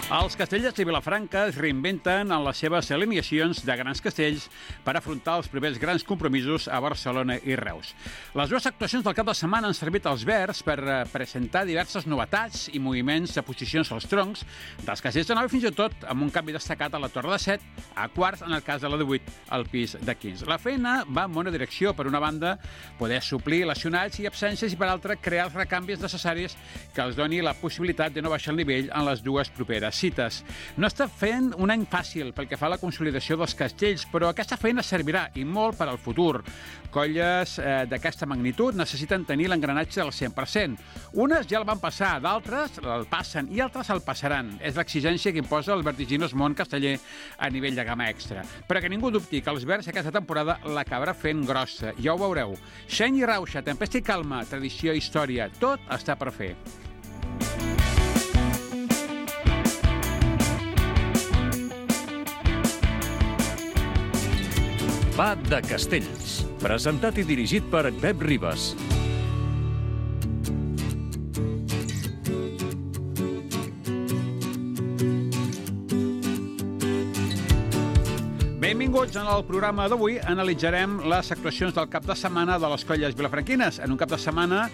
Els castellers de Vilafranca es reinventen en les seves alineacions de grans castells per afrontar els primers grans compromisos a Barcelona i Reus. Les dues actuacions del cap de setmana han servit als verds per presentar diverses novetats i moviments de posicions als troncs dels castells de 9 i fins i tot amb un canvi destacat a la torre de 7 a quarts, en el cas de la de 8 al pis de 15. La feina va en bona direcció. Per una banda, poder suplir lesionats i absències i per altra, crear els recanvis necessaris que els doni la possibilitat de no baixar el nivell en les dues properes cites. No està fent un any fàcil pel que fa a la consolidació dels castells, però aquesta feina servirà i molt per al futur. Colles d'aquesta magnitud necessiten tenir l'engranatge al 100%. Unes ja el van passar, d'altres el passen i altres el passaran. És l'exigència que imposa el vertiginós món casteller a nivell de gamma extra. Però que ningú dubti que els verds aquesta temporada l'acabarà fent grossa. Ja ho veureu. Xeny i rauxa, tempesta i calma, tradició i història, tot està per fer. Va de Castells, presentat i dirigit per Pep Ribas. Benvinguts. En el programa d'avui analitzarem les actuacions del cap de setmana de les colles vilafranquines. En un cap de setmana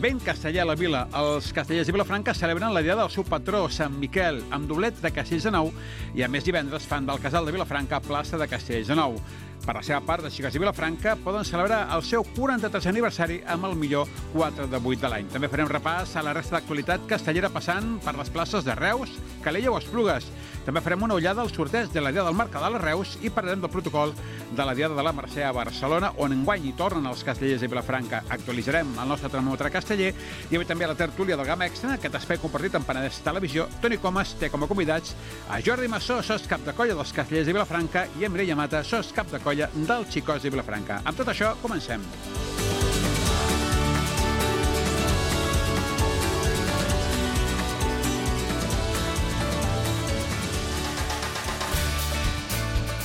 ben casteller a la vila. Els castellers de Vilafranca celebren la diada del seu patró, Sant Miquel, amb doblet de Castells de Nou i a més divendres fan del Casal de Vilafranca plaça de Castells de Nou. Per la seva part, les xiques de Vilafranca poden celebrar el seu 43è aniversari amb el millor 4 de 8 de l'any. També farem repàs a la resta d'actualitat castellera passant per les places de Reus, Calella o Esplugues. També farem una ullada al sorteig de la Diada del Mercadal a Reus i parlarem del protocol de la Diada de la Mercè a Barcelona, on enguany hi tornen els castellers de Vilafranca. Actualitzarem el nostre termòmetre casteller i avui també la tertúlia del Gamma Extra, aquest espai compartit amb Penedès Televisió. Toni Comas té com a convidats a Jordi Massó, sos cap de colla dels castellers de Vilafranca, i a Mireia Mata, sos cap de colla dels Xicots de Vilafranca. Amb tot això, comencem.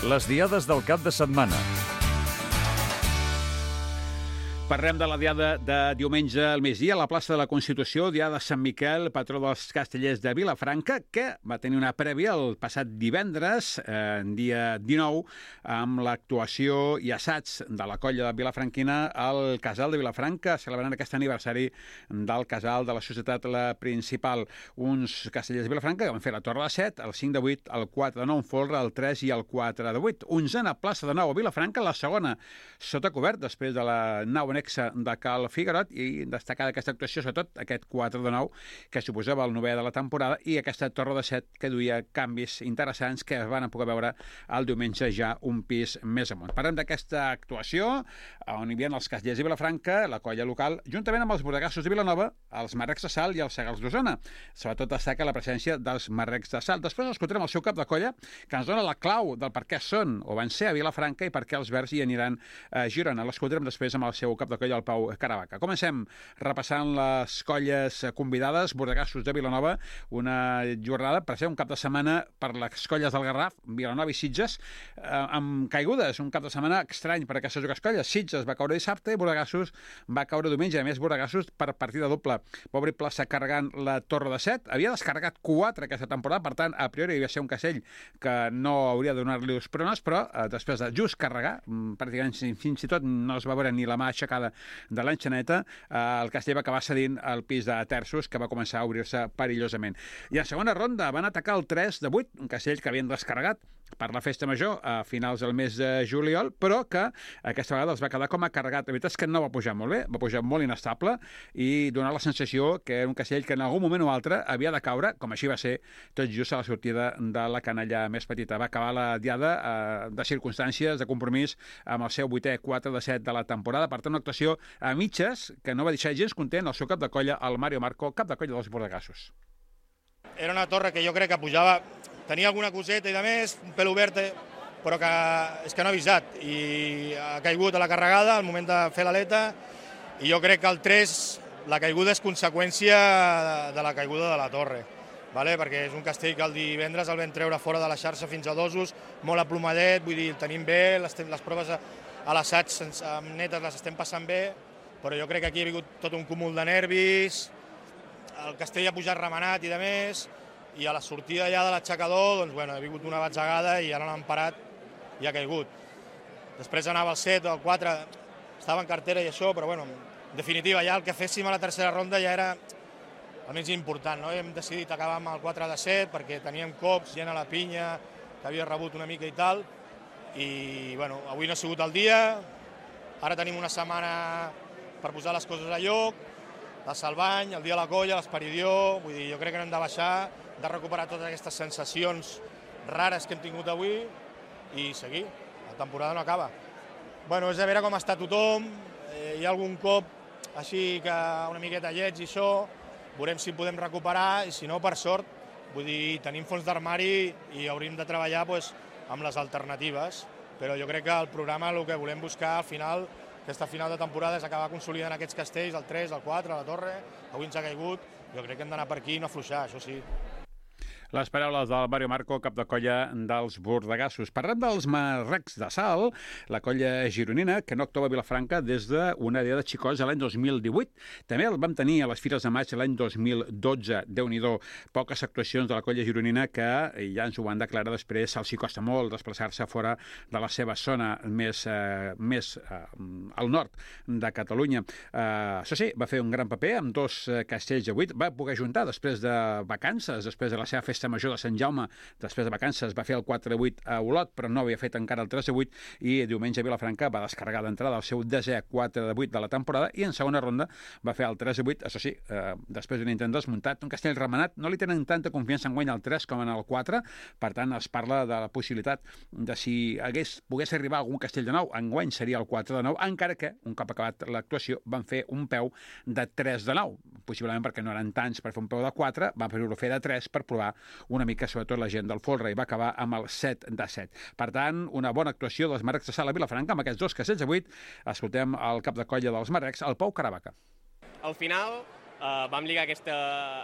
Les diades del cap de setmana. Parlem de la diada de diumenge al migdia a la plaça de la Constitució, diada de Sant Miquel, patró dels castellers de Vilafranca, que va tenir una prèvia el passat divendres, dia 19, amb l'actuació i assaig de la colla de Vilafranquina al Casal de Vilafranca, celebrant aquest aniversari del Casal de la Societat la Principal. Uns castellers de Vilafranca que van fer la Torre de 7, el 5 de 8, el 4 de 9 en folre, el 3 i el 4 de 8. Onzena plaça de 9 a Vilafranca, la segona sota cobert, després de la nau anexa de Cal Figuerot, i destacar d'aquesta actuació sobretot aquest 4 de 9 que suposava el 9è de la temporada i aquesta torre de 7 que duia canvis interessants que es van poder veure el diumenge ja un pis més amunt. Parlem d'aquesta actuació on hi havia els castellers de Vilafranca, la colla local, juntament amb els bordegassos de Vilanova, els marrecs de Salt i els segals d'Osona. Sobretot destaca la presència dels marrecs de Salt. Després escoltarem el seu cap de colla que ens dona la clau del per què són o van ser a Vilafranca i per què els verds hi aniran a Girona. L'escoltarem després amb el seu cap de colla, el Pau Caravaca. Comencem repassant les colles convidades, bordegassos de Vilanova, una jornada per ser un cap de setmana per les colles del Garraf, Vilanova i Sitges, amb caigudes, un cap de setmana estrany per aquestes dues colles. Sitges va caure dissabte i Bordegassos va caure diumenge, a més Bordegassos per partida doble. Va obrir plaça carregant la Torre de 7, havia descarregat 4 aquesta temporada, per tant, a priori havia de ser un castell que no hauria de donar-li els pronos, però després de just carregar, pràcticament fins i tot no es va veure ni la mà aixecada de l'enxaneta, el castell va acabar cedint el pis de terços, que va començar a obrir-se perillosament. I a segona ronda van atacar el 3 de 8, un castell que havien descarregat per la festa major a finals del mes de juliol, però que aquesta vegada els va quedar com a carregat. La veritat és que no va pujar molt bé, va pujar molt inestable i donar la sensació que era un castell que en algun moment o altre havia de caure, com així va ser tot just a la sortida de la canalla més petita. Va acabar la diada de circumstàncies, de compromís, amb el seu 8è 4 de 7 de la temporada. Per tant, una actuació a mitges que no va deixar gens content el seu cap de colla, el Mario Marco, cap de colla dels bordegassos. Era una torre que jo crec que pujava, tenia alguna coseta i de més, un pèl obert, però que és que no ha avisat i ha caigut a la carregada al moment de fer l'aleta, i jo crec que el 3, la caiguda és conseqüència de la caiguda de la torre, perquè és un castell que el divendres el vam treure fora de la xarxa fins a dosos, molt aplomadet, vull dir, el tenim bé, les proves a l'assaig netes les estem passant bé, però jo crec que aquí ha hagut tot un cúmul de nervis, el castell ha pujat remenat i de més, i a la sortida ja de l'aixecador, doncs, bueno, he vingut una batzegada i ara l'han parat i ha caigut. Després anava al 7 o al 4, estava en cartera i això, però bueno, en definitiva ja el que féssim a la tercera ronda ja era el més important, no? Hem decidit acabar amb el 4 de 7 perquè teníem cops, gent a la pinya, que havia rebut una mica i tal, i bueno, avui no ha sigut el dia, ara tenim una setmana per posar les coses a lloc, la Salvany, el dia de la colla, l'Esperidió, vull dir, jo crec que no hem de baixar, de recuperar totes aquestes sensacions rares que hem tingut avui i seguir, la temporada no acaba. Bueno, és a veure com està tothom, hi ha algun cop així que una miqueta lleig i això, veurem si podem recuperar i si no, per sort, vull dir, tenim fons d'armari i hauríem de treballar doncs, amb les alternatives, però jo crec que el programa el que volem buscar al final, aquesta final de temporada, és acabar consolidant aquests castells, el 3, el 4, la Torre, avui ens ha caigut, jo crec que hem d'anar per aquí i no afluixar, això sí. Les paraules del Mario Marco, cap de colla dels bordegassos. Parlem dels marrecs de sal, la colla gironina, que no actua a Vilafranca des d'una idea de xicots l'any 2018. També el vam tenir a les Fires de Maig l'any 2012. Déu-n'hi-do, poques actuacions de la colla gironina que ja ens ho van declarar després. Els hi costa molt desplaçar-se fora de la seva zona més al nord de Catalunya. Això sí, va fer un gran paper amb 2 castells de 8. Va poder juntar després de vacances, després de la seva festa major de Sant Jaume, després de vacances va fer el 4-8 a Olot, però no havia fet encara el 3-8 i diumenge a Vilafranca va descarregar d'entrada el seu 10è 4-8 de la temporada i en segona ronda va fer el 3-8, això sí, després d'un intent desmuntat, un castell remenat, no li tenen tanta confiança en guany al 3 com en el 4, per tant es parla de la possibilitat de si pogués arribar algun castell de 9, en guany seria el 4 de 9, encara que, un cop acabat l'actuació, van fer un peu de 3 de 9, possiblement perquè no eren tants per fer un peu de 4, van fer-ho fer de 3 per provar una mica, sobretot la gent del folre, i va acabar amb el 7 de 7. Per tant, una bona actuació dels marrecs de sal a Vilafranca amb aquests 2 castells de 8. Escoltem el cap de colla dels marrecs, el Pau Caravaca. Al final vam lligar aquesta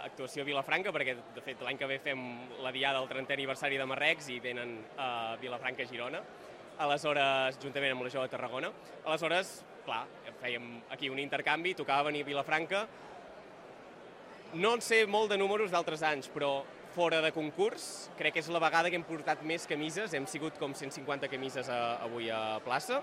actuació a Vilafranca perquè, de fet, l'any que ve fem la diada del 30è aniversari de Marrecs i venen a Vilafranca a Girona, aleshores, juntament amb la Jove de Tarragona. Aleshores, clar, fèiem aquí un intercanvi, tocava venir a Vilafranca. No en sé molt de números d'altres anys, però fora de concurs, crec que és la vegada que hem portat més camises, hem sigut com 150 camises avui a plaça,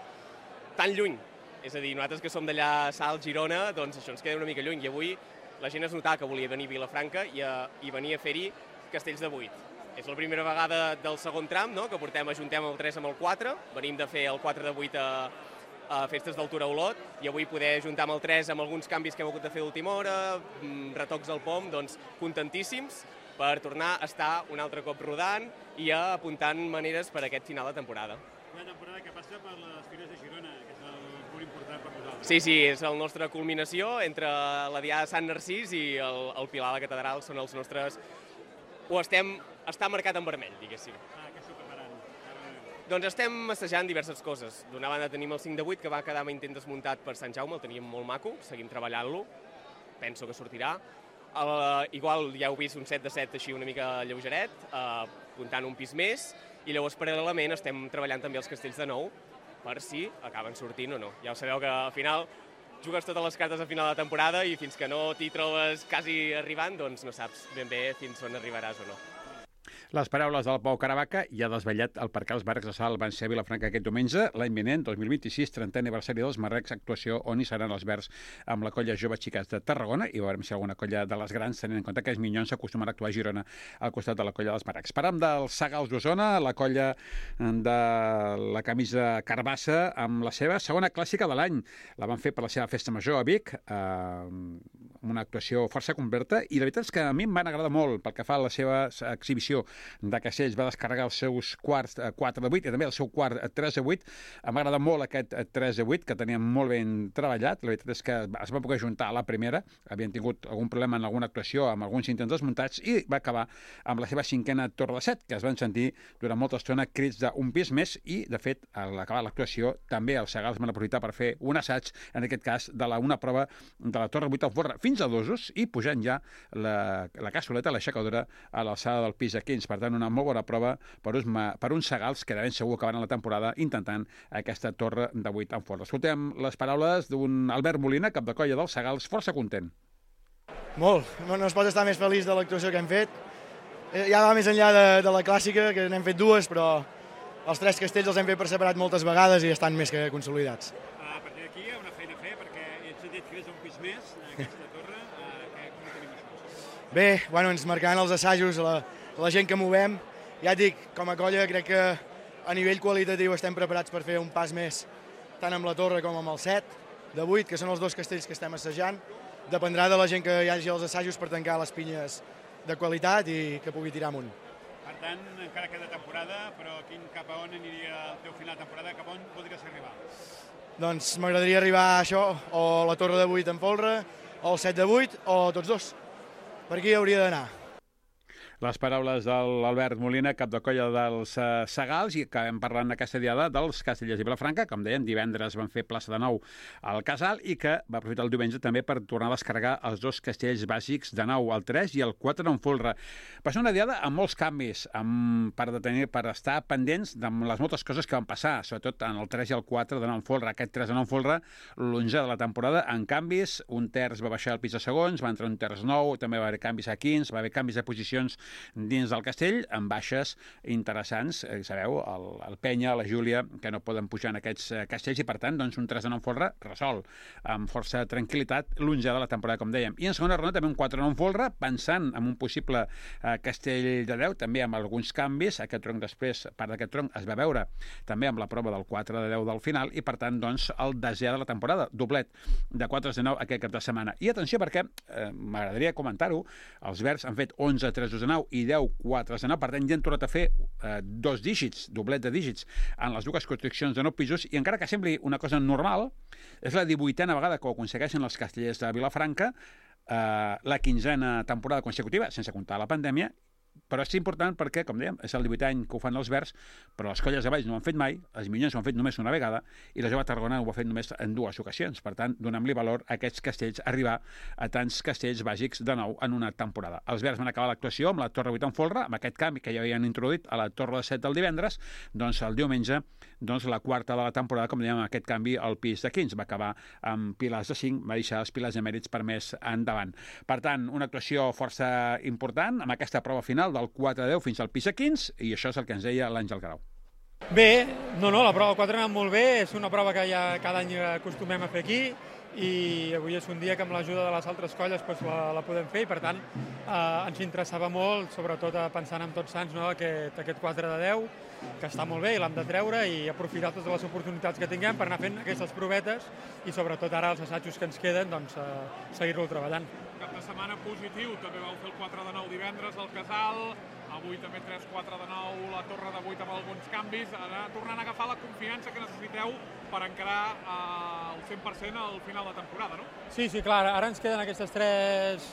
tan lluny. És a dir, nosaltres que som d'allà a Salt, Girona, doncs això ens queda una mica lluny, i avui la gent es notava que volia venir a Vilafranca i venir a fer-hi castells de 8. És la primera vegada del segon tram, no?, que ajuntem el 3 amb el 4, venim de fer el 4 de 8 a festes d'altura a Olot, i avui poder ajuntar amb el 3 amb alguns canvis que hem hagut de fer d'última hora, retocs al pom, doncs contentíssims per tornar a estar un altre cop rodant i apuntant maneres per a aquest final de temporada. Una temporada que passa per les Fires de Girona, que és el punt important per nosaltres. Sí, és la nostra culminació entre la Diada de Sant Narcís i el Pilar de la Catedral, són els nostres... Està marcat en vermell, diguéssim. Què esteu preparant? Doncs estem assajant diverses coses. D'una banda tenim el 5 de 8, que va quedar amb intent desmuntat per Sant Jaume, el teníem molt maco, seguim treballant-lo, penso que sortirà. Igual ja heu vist un 7 de 7 així una mica lleugeret, apuntant un pis més, i llavors paral·lelament estem treballant també els castells de 9 per si acaben sortint o no. Ja ho sabeu que al final jugues totes les cartes a final de temporada i fins que no t'hi trobes quasi arribant, doncs no saps ben bé fins on arribaràs o no. Les paraules del Pau Caravaca ja desvetllat el per què els marrecs de sal van ser a Vilafranca aquest diumenge, l'any vinent, 2026, 30è aniversari dels marrecs, actuació on hi seran els verds amb la colla Jove Xiques de Tarragona, i veurem si alguna colla de les grans, tenint en compte que els minyons s'acostumen a actuar a Girona al costat de la colla dels marrecs. Parlam dels Sagals d'Osona, la colla de la camisa carbassa, amb la seva segona clàssica de l'any. La van fer per la seva festa major a Vic, una actuació força completa, i la veritat és que a mi em van agradar molt pel que fa a la seva exhibició de castells. Va descarregar els seus quarts 4 de 8 i també el seu quart 3 de 8. Em va agradar molt aquest 3 de 8, que tenia molt ben treballat. La veritat és que es va poder juntar a la primera. Havien tingut algun problema en alguna actuació amb alguns intents desmuntats i va acabar amb la seva 5a torre de 7, que es van sentir durant molta estona crits d'un pis més, i de fet a l'acabar l'actuació també els Sagals van aprofitar per fer un assaig, en aquest cas de una prova de la torre 8 al forra fins a dosos i pujant ja la cassoleta, l'aixecadora a l'alçada del pis a 15. Per tant, una molt bona prova per uns Sagals que de ben segur acabaran la temporada intentant aquesta torre de 8 en forra. Escoltem les paraules d'un Albert Molina, cap de colla dels Sagals, força content. Molt, no es pot estar més feliç de l'actuació que hem fet. ja va més enllà de la clàssica, que n'hem fet dues, però els 3 castells els hem fet per separat moltes vegades i estan més que consolidats. A partir d'aquí hi ha una feina a fer, perquè ets sentit que és un pis més, aquesta torre. Com ho tenim això? Bé, ens marcaran els assajos, la gent que movem. Ja et dic, com a colla crec que a nivell qualitatiu estem preparats per fer un pas més, tant amb la torre com amb el 7 de 8, que són els 2 castells que estem assajant. Dependrà de la gent que hi hagi als assajos per tancar les pinyes de qualitat i que pugui tirar amunt. Per tant, encara queda temporada, però cap a on aniria el teu final de temporada? Cap a on podries arribar? Doncs m'agradaria arribar a això, o la torre de 8 en folre, o el 7 de 8, o tots 2. Per aquí hauria d'anar. Les paraules de l'Albert Molina, cap de colla dels Segals, i acabem parlant aquesta diada dels Castellers i Vilafranca. Com deien, divendres van fer plaça de nou al Casal i que va aprofitar el diumenge també per tornar a descarregar els 2 castells bàsics de nou, el 3 i el 4 en folre. Va ser una diada amb molts canvis, per estar pendents de les moltes coses que van passar, sobretot en el 3 i el 4 de nou en folre. Aquest 3 de nou en folre, l'11 de la temporada, en canvis, un terç va baixar al pis de segons, va entrar un terç nou, també va haver canvis a quins, va haver canvis de posicions dins del castell, amb baixes interessants, sabeu, el Penya, la Júlia, que no poden pujar en aquests castells i, per tant, doncs, un 3 de nou en folre resolt, amb força tranquil·litat, l'11 de la temporada, com dèiem. I en segona ronda també un 4 de nou en folre, pensant en un possible castell de 10, també amb alguns canvis. Aquest tronc després, part d'aquest tronc, es va veure també amb la prova del 4 de 10 del final i, per tant, doncs, el 10è de la temporada, doblet de 4 de 9 aquest cap de setmana. I atenció, perquè m'agradaria comentar-ho, els verds han fet 11 3 de 9 i 10 4 de 9, per tant ja han tornat a fer 2 dígits, doblet de dígits en les 2 construccions de 9 pisos, i encara que sembli una cosa normal, és la 18a vegada que ho aconsegueixen els castellers de Vilafranca, la 15a temporada consecutiva, sense comptar la pandèmia, però és important perquè, com dèiem, és el 18è any que ho fan els verds, però les colles de Valls no ho han fet mai, els Minyons ho han fet només una vegada i la Jove Tarragona ho ha fet només en 2 ocasions. Per tant, donem-li valor a aquests castells, arribar a tants castells bàsics de nou en una temporada. Els verds van acabar l'actuació amb la Torre 8 en folre, amb aquest canvi que ja havien introduït a la Torre de 7 del divendres, doncs el diumenge, doncs la 4a de la temporada, com dèiem, amb aquest canvi al pis de 15. Va acabar amb pilars de 5, va deixar els pilars de mèrits per més endavant. Per tant, una actuació força important amb aquesta prova final del 4 de 10 fins al pis de 15, i això és el que ens deia l'Àngel Grau. Bé, la prova 4 ha anat molt bé, és una prova que ja cada any acostumem a fer aquí, i avui és un dia que amb l'ajuda de les altres colles la podem fer, i per tant ens interessava molt, sobretot pensant en Tots Sants, aquest 4 de 10, que està molt bé i l'hem de treure i aprofitar totes les oportunitats que tinguem per anar fent aquestes provetes i sobretot ara els assajos que ens queden, doncs seguir-lo treballant. Cap de setmana positiu, també vau fer el 4 de 9 divendres al Casal, avui també 3-4 de 9, la Torre de 8 amb alguns canvis, ara tornant a agafar la confiança que necessiteu per encarar al 100% al final de temporada, no? Sí, clar, ara ens queden aquestes 3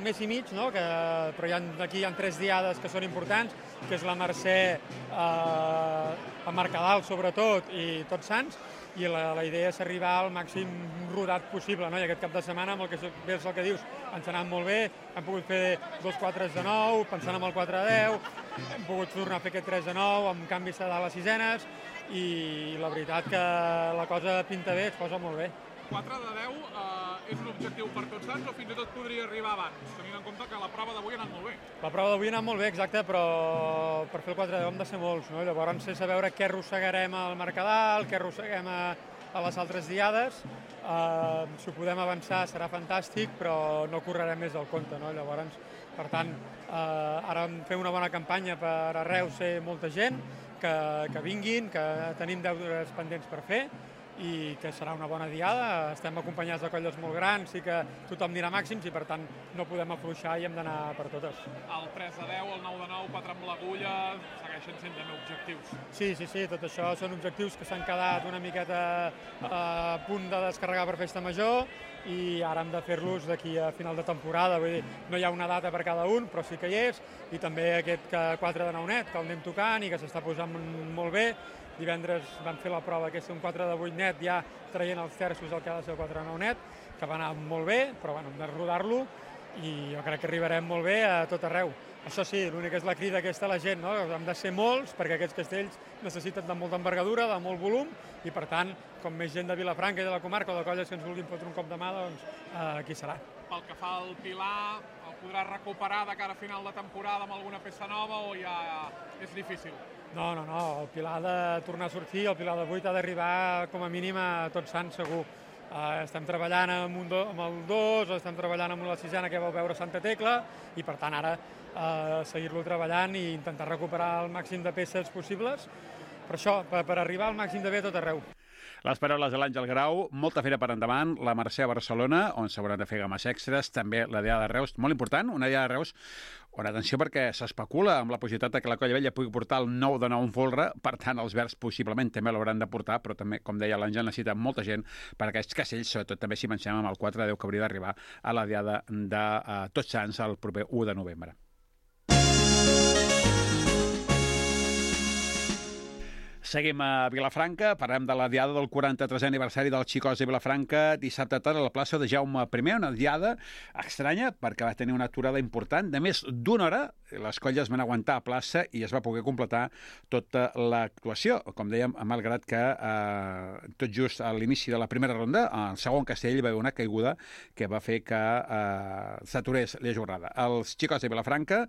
mes i mig, però aquí hi ha 3 diades que són importants, que és la Mercè, a Mercadal sobretot, i Tots Sants, i la idea és arribar al màxim rodat possible, i aquest cap de setmana, amb el que és el que dius, ens ha anat molt bé, hem pogut fer 2 4 de 9, pensant en el 4 de 10, hem pogut tornar a fer aquest 3 de 9, amb canvis de les sisenes, i la veritat que la cosa pinta bé, es posa molt bé. 4 de 10 és un objectiu per Tots Sants o fins i tot podria arribar abans, tenint en compte que la prova d'avui ha anat molt bé? La prova d'avui ha anat molt bé, exacte, però per fer el 4 de 10 hem de ser molts, Llavors és a veure què arrossegarem al Mercadal, què arrosseguem a les altres diades. Si ho podem avançar serà fantàstic, però no correrem més del compte, Llavors, per tant, ara fem una bona campanya per a Reus ser molta gent, que vinguin, que tenim deures pendents per fer, i que serà una bona diada. Estem acompanyats de colles molt grans i que tothom anirà màxims i per tant no podem afluixar i hem d'anar per totes. El 3 de 10, el 9 de 9, 4 amb l'agulla, segueixen sent també objectius. Sí, tot això són objectius que s'han quedat una miqueta a punt de descarregar per festa major i ara hem de fer-los d'aquí a final de temporada, vull dir, no hi ha una data per cada un, però sí que hi és, i també aquest 4 de 9 net, que el anem tocant i que s'està posant molt bé. Divendres vam fer la prova, que és un 4 de 8 net, ja traient els terços el que ha de ser el 4 de 9 net, que va anar molt bé, però hem de rodar-lo i jo crec que arribarem molt bé a tot arreu. Això sí, l'únic és la crida aquesta a la gent, hem de ser molts, perquè aquests castells necessiten de molta envergadura, de molt volum, i per tant, com més gent de Vilafranca i de la comarca o de colles que ens vulguin fotre un cop de mà, doncs aquí serà. Pel que fa al Pilar, el podrà recuperar de cara a final de temporada amb alguna peça nova o ja és difícil? No, el Pilar ha de tornar a sortir, el Pilar de 8 ha d'arribar com a mínim a Tots Sants, segur. Estem treballant amb el 2, estem treballant amb la sisena que vau veure Santa Tecla i per tant ara seguir-lo treballant i intentar recuperar el màxim de peces possibles. Per això, per arribar al màxim de bé a tot arreu. Les paraules de l'Àngel Grau, molta feina per endavant, la Mercè a Barcelona, on s'hauran de fer games extres, també la Diada de Reus, molt important, una Diada de Reus on, atenció, perquè s'especula amb la possibilitat que la Colla Vella pugui portar el 9 de 9 en folre, per tant, els verds possiblement també l'hauran de portar, però també, com deia l'Àngel, necessita molta gent per aquests castells, sobretot també si pensem amb el 4 de 10 que hauria d'arribar a la Diada de Tots Sants el proper 1 de novembre. Seguim a Vilafranca, parlem de la diada del 43è aniversari del Xicòs de Vilafranca, dissabte tarda a la plaça de Jaume I, una diada estranya perquè va tenir una aturada important de més d'una hora. Les colles van aguantar a plaça i es va poder completar tota l'actuació. Com dèiem, malgrat que tot just a l'inici de la primera ronda, al segon castell hi va haver una caiguda que va fer que s'aturés la jornada. Els Xicòs de Vilafranca,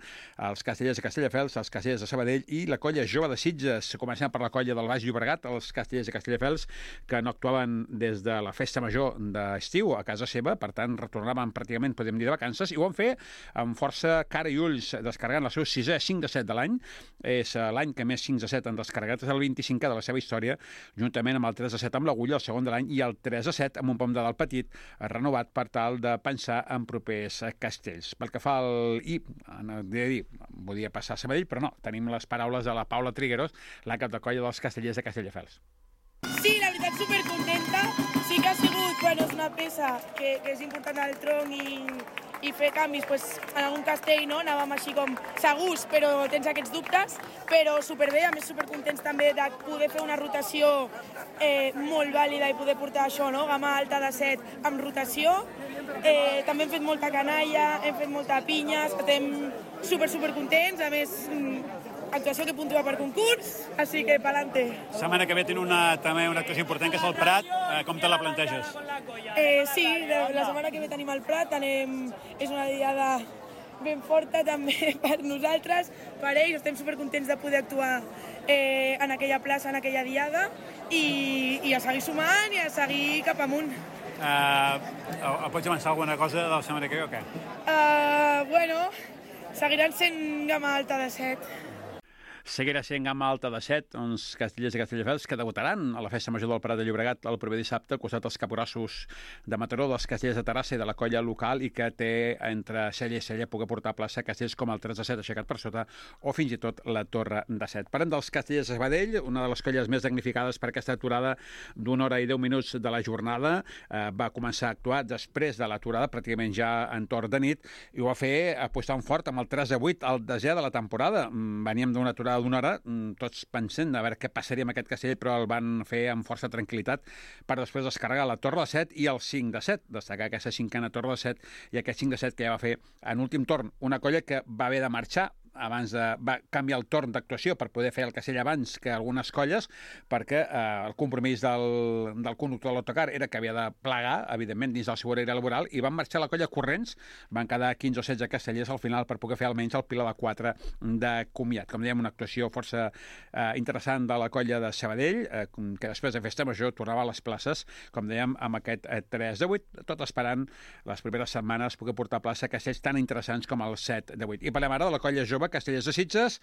els castellers de Castelldefels, els castellers de Sabadell i la colla jove de Sitges, començant per la colla del Baix Llobregat, els castellers de Castelldefels, que no actuaven des de la festa major d'estiu a casa seva, per tant, retornaven pràcticament, podem dir, de vacances, i ho van fer amb força cara i ulls, descarregant el seu 6è 5 de 7 de l'any. És l'any que més 5 de 7 han descarregat, és el 25è de la seva història, juntament amb el 3 de 7 amb l'Agulla, el segon de l'any, i el 3 de 7 amb un pom de dalt petit, renovat per tal de pensar en propers castells. Pel que fa al... volia passar a Sabadell, però no, tenim les paraules de la Paula Trigueros, la cap de colla dels castellers de Castelldefels. Sí, la veritat, supercontenta. Sí que ha sigut, és una peça que és important al tronc i fer canvis, en algun castell, no? Anàvem així com segurs, però tens aquests dubtes, però superbé, a més supercontents també de poder fer una rotació molt vàlida i poder portar això, no? Gamma alta de 7 amb rotació. També hem fet molta canalla, hem fet molta pinya, estem supercontents, a més actuació que puntua per concurs, així que pa'lante. Setmana que ve tenen també una actuació important, que és el Prat. Com te la planteges? Sí, la setmana que ve tenim el Prat, és una diada ben forta també per nosaltres, per ells, estem supercontents de poder actuar en aquella plaça, en aquella diada, i a seguir sumant i a seguir cap amunt. Pots avançar alguna cosa de la setmana que ve o què? Seguiran sent gamma alta de 7. Seguirà sent gamma alta de 7, uns castellers i castelldefels que debutaran a la festa major del Prat de Llobregat el proper dissabte, al costat dels caporassos de Mataró, dels castellers de Terrassa i de la colla local, i que té entre cella i cella poder portar a plaça castells com el 3 de 7 aixecat per sota o fins i tot la Torre de 7. Parlem dels castellers de Sabadell, una de les colles més damnificades per aquesta aturada d'1 hora i 10 minuts de la jornada. Va començar a actuar després de l'aturada, pràcticament ja en torn de nit, i ho va fer apostant fort amb el 3 de 8, el desè de la temporada. Veníem d'una aturada d'una hora, tots pensant a veure què passaria amb aquest castell, però el van fer amb força tranquil·litat per després descarregar la Torre de 7 i el 5 de 7, destacar aquesta cinquena Torre de 7 i aquest 5 de 7 que ja va fer en últim torn. Una colla que va haver de marxar va canviar el torn d'actuació per poder fer el castell abans que algunes colles, perquè el compromís del conductor de l'autocar era que havia de plegar, evidentment, dins del seu horari laboral, i van marxar la colla corrents, van quedar 15 o 16 castellers al final per poder fer almenys el Pilar de 4 de comiat. Com dèiem, una actuació força interessant de la colla de Sabadell, que després de festa major tornava a les places, com dèiem, amb aquest 3 de 8, tot esperant les primeres setmanes poder portar a plaça castells tan interessants com el 7 de 8. I parlem ara de la colla jove Castellers de Sitges,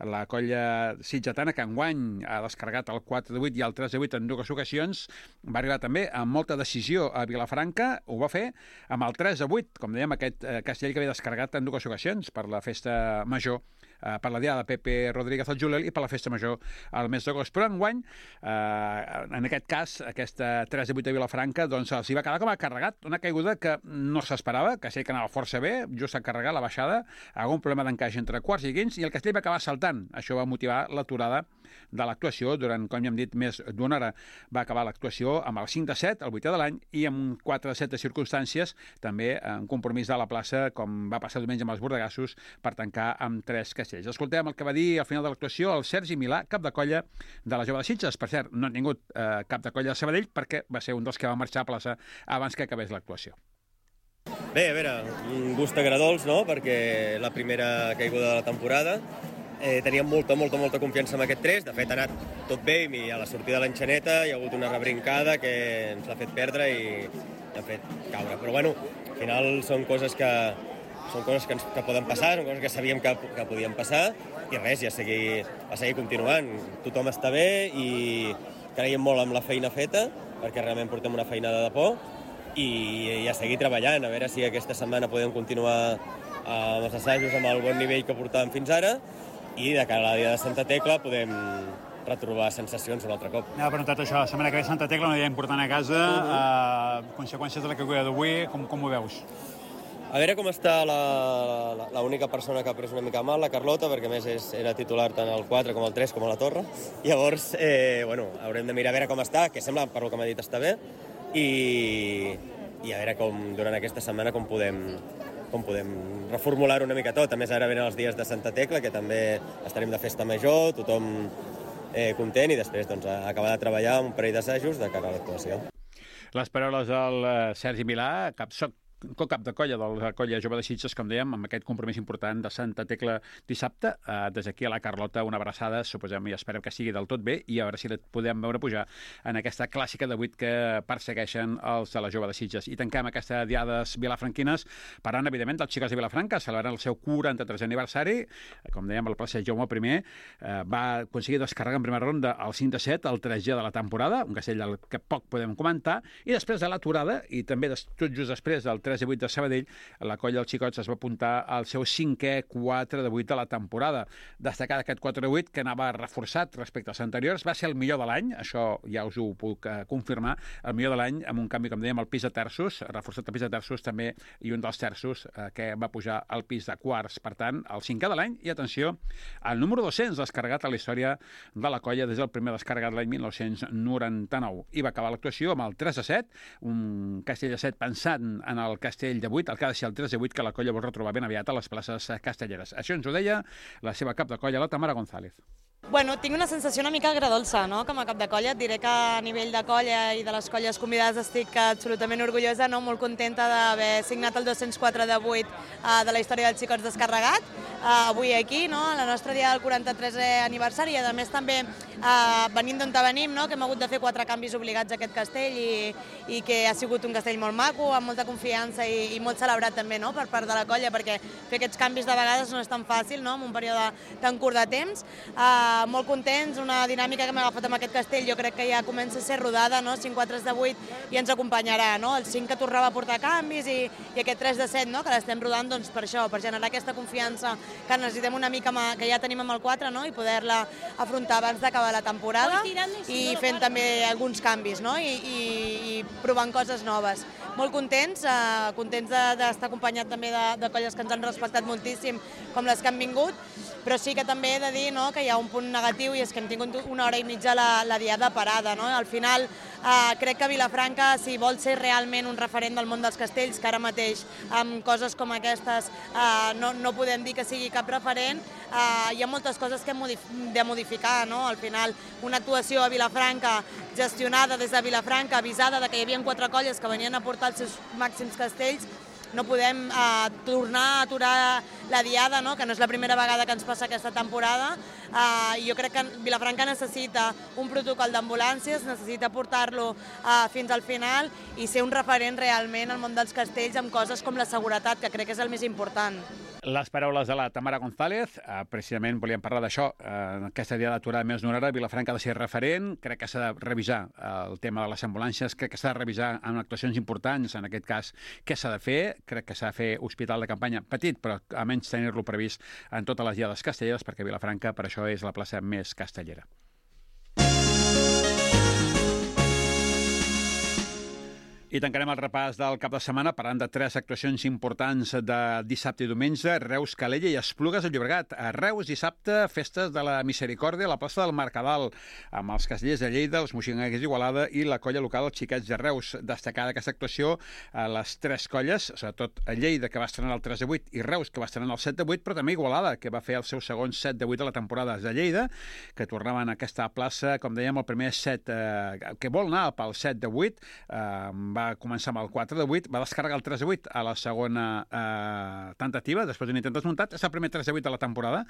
la colla sitgetana que enguany ha descarregat el 4 de 8 i el 3 de 8 en dues ocasions, va arribar també amb molta decisió a Vilafranca, ho va fer amb el 3 de 8, com dèiem, aquest castell que havia descarregat en dues ocasions per la festa major, per la diada de Pepe Rodríguez al juliol i per la festa major al mes d'agost. Però enguany, en aquest cas, aquesta 3 de 8 de Vilafranca, doncs els hi va quedar com a carregat, una caiguda que no s'esperava, que sé que anava força bé, just a carregar la baixada, algun problema d'encaix entre quarts i quints, i el castell va acabar saltant. Això va motivar l'aturada de l'actuació durant, com ja hem dit, més d'una hora. Va acabar l'actuació amb el 5 de 7, el 8è de l'any, i amb un 4 de 7 de circumstàncies, també un compromís de la plaça, com va passar diumenge amb els bordegassos, per tancar amb 3 castells. Escoltem el que va dir al final de l'actuació el Sergi Milà, cap de colla de la Jove de Sitges. Per cert, no ha tingut cap de colla de Sabadell perquè va ser un dels que va marxar a plaça abans que acabés l'actuació. Bé, a veure, un gust agradols, no?, perquè la primera caiguda de la temporada. Teníem molta confiança en aquest 3. De fet, ha anat tot bé i a la sortida de l'enxaneta hi ha hagut una rebrincada que ens l'ha fet perdre i l'ha fet caure. Però, bueno, al final són coses que poden passar, són coses que sabíem que podien passar i res, a seguir continuant. Tothom està bé i creiem molt amb la feina feta, perquè realment portem una feinada de por i a seguir treballant, a veure si aquesta setmana podem continuar amb els assajos amb el bon nivell que portàvem fins ara i de cara a la dia de Santa Tecla podem retrobar sensacions un altre cop. M'ha preguntat això, la setmana que ve Santa Tecla, una dia important a casa, conseqüències de la caiguda d'avui, com ho veus? A veure com està l'única persona que ha pres una mica mal, la Carlota, perquè a més era titular tant al 4 com al 3 com a la torre. Llavors, haurem de mirar a veure com està, que sembla, per lo que m'ha dit, està bé, i a veure com durant aquesta setmana com podem reformular una mica tot. A més, ara venen els dies de Santa Tecla, que també estarem de festa major, tothom content, i després acabar de treballar un parell d'assajos de cara a l'actuació. Les paraules del Sergi Milà, cap de colla de la colla jove de Sitges, com dèiem, amb aquest compromís important de Santa Tecla dissabte. Des d'aquí a la Carlota una abraçada, suposem i esperem que sigui del tot bé, i a veure si la podem veure pujar en aquesta clàssica de 8 que persegueixen els de la jove de Sitges. I tanquem aquesta diades vilafranquines parlant, evidentment, dels xicots de Vilafranca, celebrant el seu 43è aniversari. Com dèiem, el plaça Jaume I va aconseguir descarregar en primera ronda el 5-7, el 3G de la temporada, un castell del que poc podem comentar, i després de l'aturada, i també tot just després del 3-8 de Sabadell, la colla dels xicots es va apuntar al seu 5è 4-8 de la temporada. Destacar aquest 4-8 que anava reforçat respecte als anteriors, va ser el millor de l'any, això ja us ho puc confirmar, el millor de l'any amb un canvi, com dèiem, al pis de terços, reforçat el pis de terços també, i un dels terços que va pujar al pis de quarts. Per tant, el 5è de l'any, i atenció, el número 200 descarregat a la història de la colla des del primer descarregat l'any 1999. I va acabar l'actuació amb el 3-7, un castell de 7 pensant en el castell de 8, el que ha de ser el 3-8 que la colla vol retrobar ben aviat a les places castelleres. Això ens ho deia la seva cap de colla, la Tamara González. Bueno, tinc una sensació una mica agradolça, no?, com a cap de colla. Et diré que a nivell de colla i de les colles convidades estic absolutament orgullosa, no?, molt contenta d'haver signat el 204 de 8 de la història dels xicots descarregat. Avui aquí, no?, a la nostra dia del 43è aniversari, i a més també venint d'on venim, no?, que hem hagut de fer 4 canvis obligats a aquest castell i que ha sigut un castell molt maco, amb molta confiança i molt celebrat també, no?, per part de la colla, perquè fer aquests canvis de vegades no és tan fàcil, no?, en un període tan curt de temps. Molt contents, una dinàmica que hem agafat amb aquest castell, jo crec que ja comença a ser rodada, no?, 5-4 de 8 i ens acompanyarà, no?, el 5 que tornava a portar canvis i aquest 3 de 7, no?, que l'estem rodant doncs per això, per generar aquesta confiança que necessitem una mica que ja tenim amb el 4, no?, i poder-la afrontar abans d'acabar la temporada i fent també alguns canvis, no?, i provant coses noves. Molt contents d'estar acompanyat també de colles que ens han respectat moltíssim, com les que han vingut, però sí que també he de dir, no?, que hi ha un punt negatiu, i és que hem tingut 1 hora i mitja la diada parada, no? Al final crec que Vilafranca, si vol ser realment un referent del món dels castells, que ara mateix amb coses com aquestes no podem dir que sigui cap referent, hi ha moltes coses que hem de modificar, no? Al final, una actuació a Vilafranca gestionada des de Vilafranca, avisada de que hi havia 4 colles que venien a portar els seus màxims castells, no podem tornar a aturar la diada, no?, que no és la primera vegada que ens passa aquesta temporada. Jo crec que Vilafranca necessita un protocol d'ambulàncies, necessita portar-lo fins al final i ser un referent realment al món dels castells amb coses com la seguretat, que crec que és el més important. Les paraules de la Tamara González, precisament volíem parlar d'això, aquesta dia d'aturada més d'una hora, Vilafranca ha de ser referent, crec que s'ha de revisar el tema de les ambulàncies, crec que s'ha de revisar en actuacions importants, en aquest cas, què s'ha de fer, crec que s'ha de fer hospital de campanya petit, però almenys tenir-lo previst en totes les diades castelleres, perquè Vilafranca per això és la plaça més castellera. I tancarem el repàs del cap de setmana parlant de 3 actuacions importants de dissabte i diumenge: Reus, Calella i Esplugues de Llobregat. A Reus, dissabte, festes de la Misericòrdia a la plaça del Mercadal, amb els castellers de Lleida, els moixinguers d'Igualada i la colla local dels Xiquets de Reus. Destacada aquesta actuació a les 3 colles, sobretot a Lleida, que va estrenar el 3-8, i Reus, que va estrenar el 7-8, però també Igualada, que va fer el seu segon 7-8 de la temporada. De Lleida, que tornaven a aquesta plaça, com dèiem, el primer set, que vol anar pel 7-8, va va començar amb el 4-8, va descarregar el 3-8 a la segona tentativa, després d'un intent desmuntat. És el primer 3-8 de la temporada.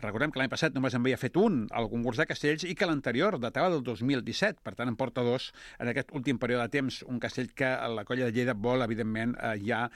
Recordem que l'any passat només en havia fet un al concurs de castells i que l'anterior datava del 2017. Per tant, en porta dos en aquest últim període de temps. Un castell que la colla de Lleida vol, evidentment, ja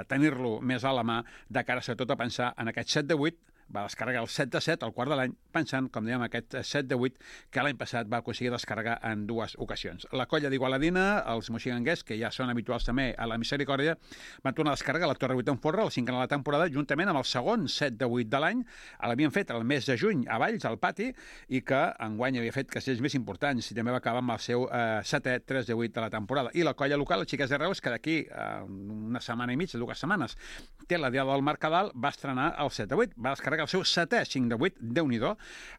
tenir-lo més a la mà de cara, sobretot, a pensar en aquest 7-8. Va descarregar el 7-7 al quart de l'any, pensant, com dèiem, aquest 7-8 que l'any passat va aconseguir descarregar en 2 ocasions. La colla d'Igualadina, els moxiganguers, que ja són habituals també a la Misericòrdia, van tornar a descarregar la Torre 8 en Folre, la 5a de la temporada, juntament amb el segon 7-8 de l'any. L'havien fet el mes de juny a Valls, al pati, i que enguany havia fet castells més importants i també va acabar amb el seu 7è 3-8 de la temporada. I la colla local, els Xiquets de Reus, que d'aquí una setmana i mitja, 2 setmanes, té la Diada del Mercadal, va estrenar el 7-8, va descarregar el seu 7è 5-8, Déu-n'hi-do,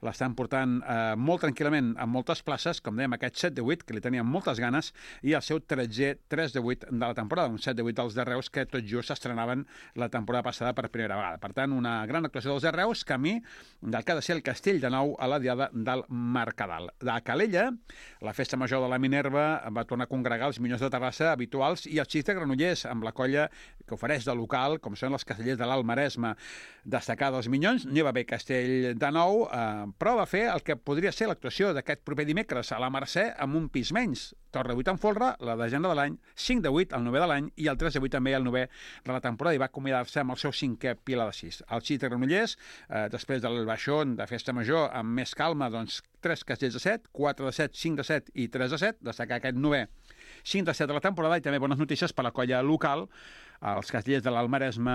l'estan portant molt tranquil·lament a moltes places, com dèiem, aquest 7-8, que li tenien moltes ganes, i el seu 13è 3-8 de la temporada, un 7-8 dels de Reus que tot just s'estrenaven la temporada passada per primera vegada. Per tant, una gran actuació dels de Reus, camí del que ha de ser el castell de nou a la Diada del Mercadal. De Calella, la festa major de la Minerva va tornar a congregar els Minyons de Terrassa habituals i els Xics de Granollers, amb la colla que ofereix de local, com són els castellers de l'Alt Maresme. Destacar dels Minyons, n'hi va haver castell de nou, però va fer el que podria ser l'actuació d'aquest proper dimecres a la Mercè amb un pis menys. Torre 8 en Folre, la desena de l'any, 5-8, el 9è de l'any, i el 3-8 també el 9è de la temporada, i va acomiadar-se amb el seu 5è Pilar de 6. El Xics de Granollers, després del baixón de festa major, amb més calma, doncs 3 castells de 7, 4 de 7, 5 de 7 i 3 de 7, destacar aquest 9è 5 de 7 de la temporada, i també bones notícies per la colla local, els castellers de l'Alt Maresme,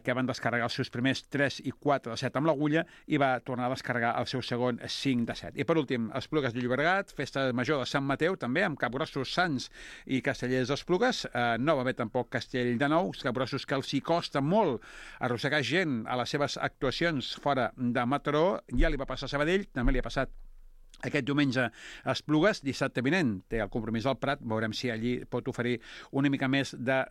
que van descarregar els seus primers 3 i 4 de 7 amb l'agulla i va tornar a descarregar el seu segon 5 de 7. I per últim, Esplugues de Llobregat, festa major de Sant Mateu, també amb capgrossos Sants i castellers d'Esplugues. No va haver tampoc castell de nou, capgrossos que els hi costa molt arrossegar gent a les seves actuacions fora de Mataró. Ja li va passar a Sabadell, també li ha passat aquest diumenge a Esplugues. Dissabte vinent té el compromís al Prat, veurem si allí pot oferir una mica més de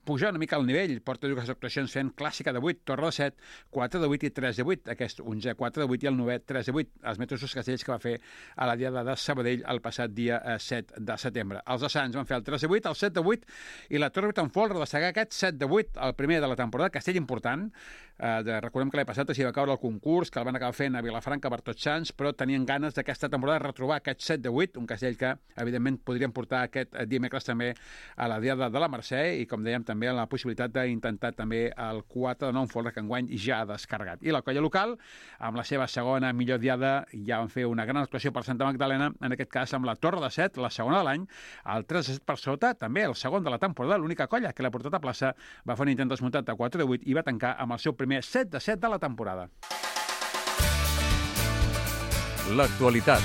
pujar una mica al nivell. Porta 2 actuacions fent clàssica de 8, Torre de 7, 4 de 8 i 3 de 8, aquest 11, 4 de 8 i el 9è 3 de 8, els mateixos castells que va fer a la Diada de Sabadell el passat dia 7 de setembre. Els de Sants van fer el 3 de 8, el 7 de 8 i la Torre 8 en Folre, destacar aquest 7 de 8, el primer de la temporada, castell important. Recordem que l'any passat s'hi va caure el concurs, que el van acabar fent a Vilafranca per Tots Sants, però tenien ganes d'aquesta temporada de retrobar aquest 7 de 8, un castell que, evidentment, podrien portar aquest dimecres també a la Diada de la Mercè i, com dèiem, també la possibilitat d'intentar també el 4 de 9 en Folre, que enguany ja ha descarregat. I la colla local, amb la seva segona millor diada, ja van fer una gran actuació per Santa Magdalena, en aquest cas amb la Torre de 7, la segona de l'any, el 3 de 7 per sota, també el segon de la temporada, l'única colla que l'ha portat a plaça, va fer un intent desmuntat de 4 de 8 i va tancar amb el seu primer 7 de 7 de la temporada. L'actualitat.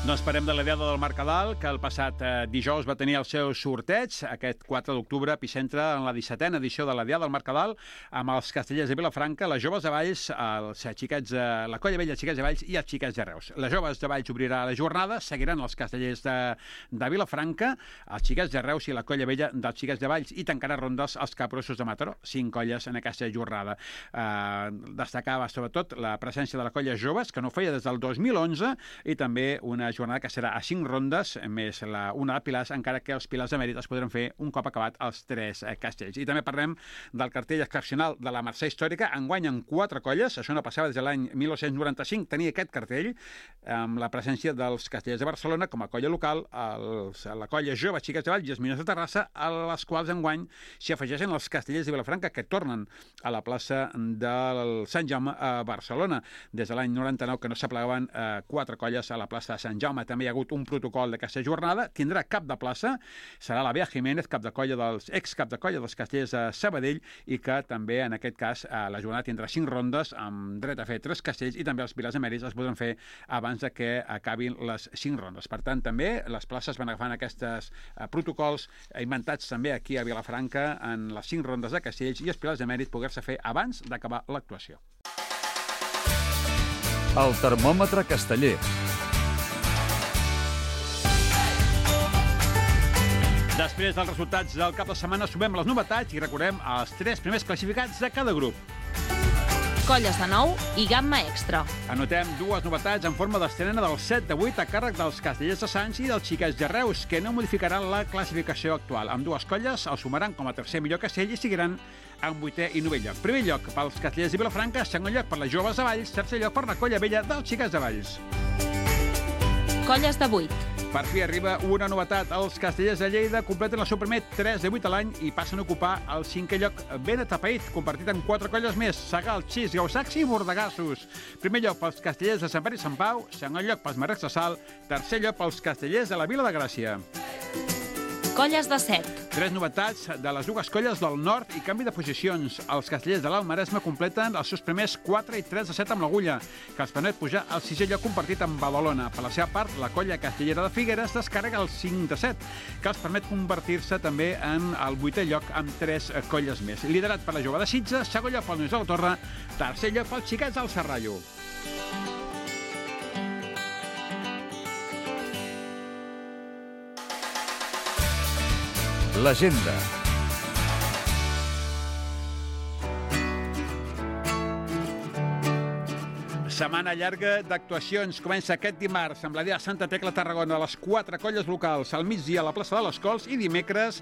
No esperem de la Diada del Mercadal, que el passat dijous va tenir el seu sorteig, aquest 4 d'octubre, epicentre en la 17a edició de la Diada del Mercadal, amb els castellers de Vilafranca, les joves de Valls, la colla vella Xiquets de Valls i els Xiquets de Reus. Les joves de Valls obrirà la jornada, seguiran els castellers de Vilafranca, els Xiquets de Reus i la colla vella dels Xiquets de Valls, i tancarà rondes els capgrossos de Mataró, 5 colles en aquesta jornada. Destacava sobretot la presència de la colla joves, que no feia des del 2011, i també una jornada que serà a 5 rondes, més una de Pilars, encara que els Pilars de Mèrit es podran fer un cop acabat els 3 castells. I també parlem del cartell excepcional de la Mercè Històrica. Enguany en 4 colles, això no passava des de l'any 1995, tenia aquest cartell amb la presència dels castellers de Barcelona com a colla local, la colla jove Xiquets de Valls i els Minyons de Terrassa, a les quals enguany s'hi afegeixen els castellers de Vilafranca, que tornen a la plaça del Sant Jaume a Barcelona. Des de l'any 99 que no s'aplegaven 4 colles a la plaça de Sant Jaume. També hi ha hagut un protocol d'aquesta jornada. Tindrà cap de plaça, serà la Bea Jiménez, cap de colla ex-cap de colla dels castellers de Sabadell, i que també, en aquest cas, la jornada tindrà 5 rondes amb dret a fer 3 castells, i també els Pilars Emèrits es podran fer abans de que acabin les 5 rondes. Per tant, també les places van agafant aquests protocols inventats també aquí a Vilafranca en les 5 rondes de castells, i els Pilars Emèrits poder-se fer abans d'acabar l'actuació. El termòmetre casteller. Després dels resultats del cap de setmana sumem les novetats i recordem els 3 primers classificats de cada grup. colles de 9 i gamma extra. Anotem dues novetats en forma d'estrena del 7 de 8 a càrrec dels Castellers de Sants i dels Xiquets de Reus, que no modificaran la classificació actual. Amb dues colles el sumaran com a tercer millor castell i seguiran en 8è i 9è lloc. Primer lloc pels Castellers de Vilafranca, segon lloc per les Joves de Valls, tercer lloc per la Colla Vella dels Xiquets de Valls. Colles de 8. Per fi arriba una novetat. Els Castellers de Lleida completen el seu primer 3 de 8 a l'any i passen a ocupar el 5è lloc ben atapeït, compartit amb 4 colles més: Sagal, Xis, Gausacs i Bordegassos. Primer lloc pels Castellers de Sant Pere i Sant Pau, segon lloc pels Marrecs de Sal, tercer lloc pels Castellers de la Vila de Gràcia. Colles de 7. 3 novetats de les dues colles del nord i canvi de posicions. Els Castellers de l'Alt Maresme completen els seus primers 4 i 3 de 7 amb l'Agulla, que els permet pujar al 6è lloc compartit amb Badalona. Per la seva part, la colla castellera de Figueres descarrega el 5 de 7, que els permet convertir-se també en el 8è lloc amb 3 colles més. Liderat per la Jove de Sitges, segon lloc pel Nois de la Torre, tercer lloc pels Xiquets del Serrallo. L'agenda. Setmana llarga d'actuacions. Comença aquest dimarts amb la Diada de Santa Tecla a Tarragona, a les 4 colles locals, al migdia a la plaça de les Cols, i dimecres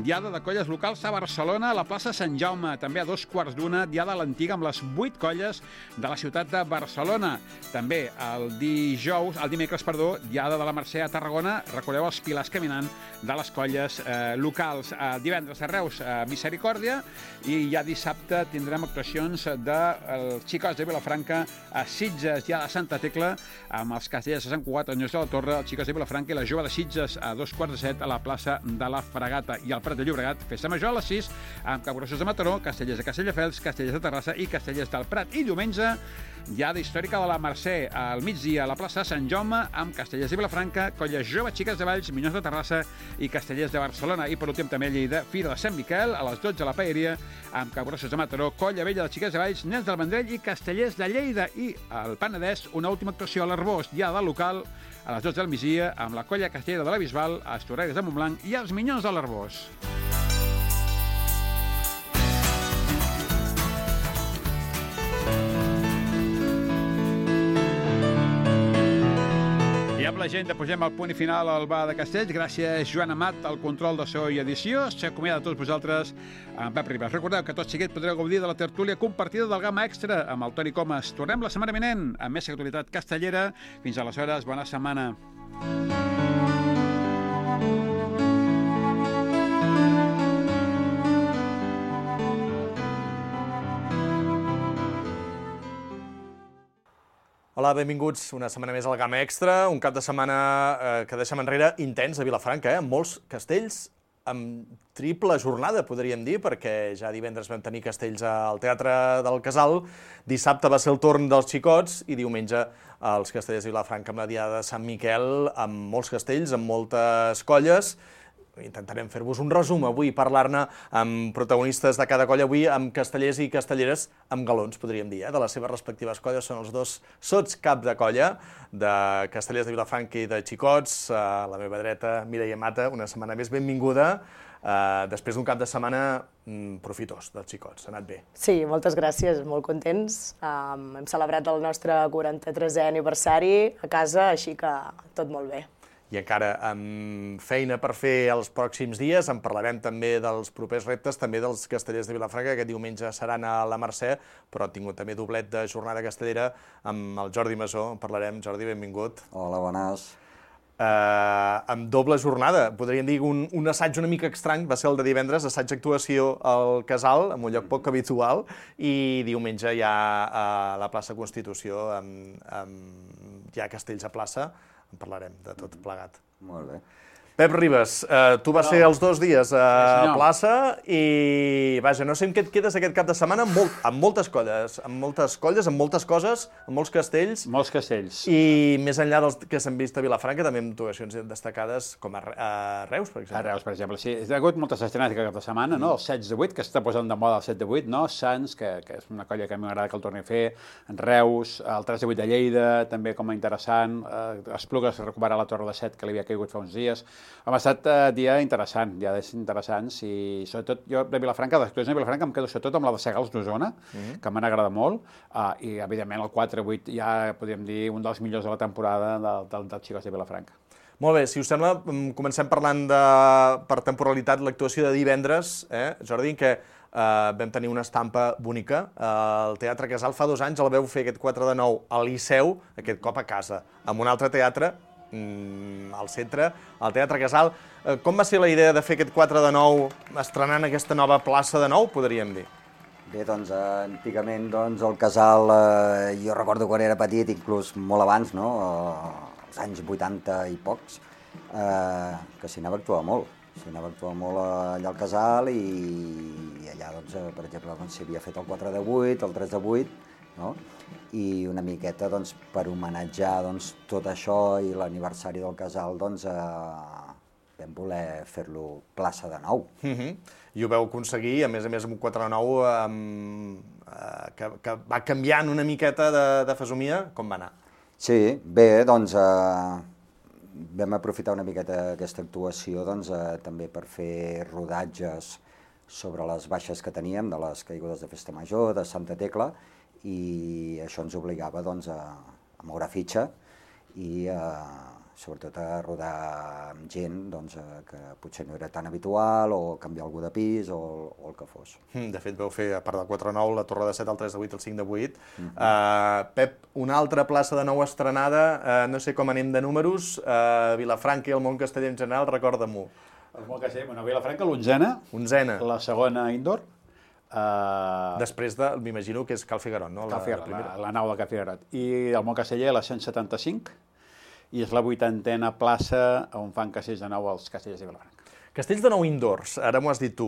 Diada de colles locals a Barcelona, a la plaça Sant Jaume. També a 2:15, Diada a l'Antiga amb les 8 colles de la ciutat de Barcelona. També el dimecres, Diada de la Mercè a Tarragona. Recordeu els pilars caminant de les colles locals. Divendres a Reus, Misericòrdia, i ja dissabte tindrem actuacions dels Xicots de Vilafranca a Sitges, ja a Santa Tecla, amb els Castellers de Sant Cugat, els Nois de la Torre, els Xicots de Vilafranca i la Jove de Sitges a 2:15 a la plaça de la Fragata. I al Prat de Llobregat, festa major a les 6, amb Capgrossos de Mataró, Castellers de Castelldefels, Castellers de Terrassa i Castellers del Prat. I diumenge, Diada històrica de la Mercè, al migdia a la plaça de Sant Jaume, amb Castellers de Vilafranca, colles joves Xiques de Valls, Minyons de Terrassa i Castellers de Barcelona. I per últim també a Lleida, Fira de Sant Miquel, a les 12 a la Paeria, amb Capgrossos de Mataró, Colla Vella de Xiques de Valls, Nens del Vendrell i Castellers de Lleida. I al Penedès, una última actuació a l'Arbós, Diada local, a les 12 del migdia, amb la colla castellera de la Bisbal, a Estorreres de Montblanc i els Minyons de l'Arbós. I amb la gent posem el punt i final al Bar de Castells. Gràcies, Joan Amat, al control de so i edició. S'acomiada de tots vosaltres amb Pep Ribas. Recordeu que tot seguit podreu gaudir de la tertúlia compartida del Gamma Extra amb el Toni Comas. Tornem la setmana vinent amb més actualitat castellera. Fins aleshores, bona setmana. Hola, benvinguts una setmana més al Gamma Extra, un cap de setmana que deixem enrere intens a Vilafranca, amb molts castells, amb triple jornada, podríem dir, perquè ja divendres vam tenir castells al Teatre del Casal, dissabte va ser el torn dels Xicots i diumenge els Castellers de Vilafranca amb la Diada de Sant Miquel, amb molts castells, amb moltes colles. Intentarem fer-vos un resum avui, parlar-ne amb protagonistes de cada colla, avui amb castellers i castelleres, amb galons, podríem dir, de les seves respectives colles. Són els dos sots cap de colla, de Castellers de Vilafranca i de Xicots. A la meva dreta, Mireia Mata, una setmana més benvinguda, després d'un cap de setmana profitós dels Xicots. Ha anat bé. Sí, moltes gràcies, molt contents. Hem celebrat el nostre 43è aniversari a casa, així que tot molt bé. I encara amb feina per fer els pròxims dies, en parlarem també dels propers reptes, també dels Castellers de Vilafranca, que aquest diumenge seran a la Mercè, però han tingut també doblet de jornada castellera amb el Jordi Masó. En parlarem. Jordi, benvingut. Hola, bones. Amb doble jornada, podríem dir un assaig una mica estrany, va ser el de divendres, assaig-actuació al Casal, en un lloc poc habitual, i diumenge ja a la plaça Constitució, amb ja castells a plaça. En parlarem de tot plegat. Molt bé. Pep Ribas, tu vas ser els 2 dies a plaça i, vaja, no sé amb què et quedes aquest cap de setmana, amb moltes colles, amb moltes coses, amb molts castells. Molts castells. I més enllà dels que s'han vist a Vilafranca, també amb actuacions destacades com a Reus, per exemple. A Reus, per exemple, sí. Hi ha hagut moltes estrenes aquest cap de setmana, no? El 16 de 8, que està posant de moda el 7 de 8, no? Sants, que és una colla que a mi m'agrada que el torni a fer, en Reus, el 3 de 8 de Lleida, també com a interessant, Esplugues recupera la Torre de 7, que li havia caigut fa uns dies. Ha estat dia interessant, dies interessants, i sobretot jo de Vilafranca, d'actuacions de Vilafranca, em quedo sobretot amb la de Segals d'Osona, que m'han agradat molt, i evidentment el 4-8 ja podríem dir un dels millors de la temporada dels Xicots de Vilafranca. Molt bé, si us sembla, comencem parlant per temporalitat l'actuació de divendres, Jordi, en què vam tenir una estampa bonica. El Teatre Casal fa 2 anys el veu fer aquest 4 de 9 al Liceu, aquest cop a casa, amb un altre teatre, al centre, al Teatre Casal. Com va ser la idea de fer aquest 4 de 9 estrenant aquesta nova plaça de Nou, podríem dir? Bé, doncs, antigament, el Casal, jo recordo quan era petit, inclús molt abans, no?, als anys 80 i pocs, que s'hi anava a actuar molt. S'hi anava a actuar molt allà al Casal i allà, doncs, per exemple, s'hi havia fet el 4 de 8, el 3 de 8, no?, i una miqueta, doncs, per homenatjar, doncs, tot això i l'aniversari del Casal, doncs, vam voler fer-lo plaça de Nou. I ho vau aconseguir, a més amb un 4 de 9 que va canviant una miqueta de fesomia. Com va anar? Sí, bé, doncs, vam aprofitar una miqueta aquesta actuació, doncs, també per fer rodatges sobre les baixes que teníem, de les caigudes de Festa Major, de Santa Tecla, i això ens obligava, doncs, a moure fitxa i sobretot a rodar amb gent, doncs, que potser no era tan habitual, o canviar algú de pis, o el que fos. De fet, vau fer, a part del 4 de 9, la Torre de 7, el 3 de 8, el 5 de 8. Pep, una altra plaça de Nou estrenada, no sé com anem de números, Vilafranca i el món casteller en general, recorda-m'ho. El món casteller, bueno, Vilafranca, l'onzena, la segona indoor. Després de, m'imagino que és Cal Figuerot, no? La nau de Cal Figuerot. I el món casteller, la 175, i és la 80a plaça on fan castells de nou als Castellers de Vilafranca. Castells de Nou indoors, ara m'ho has dit tu,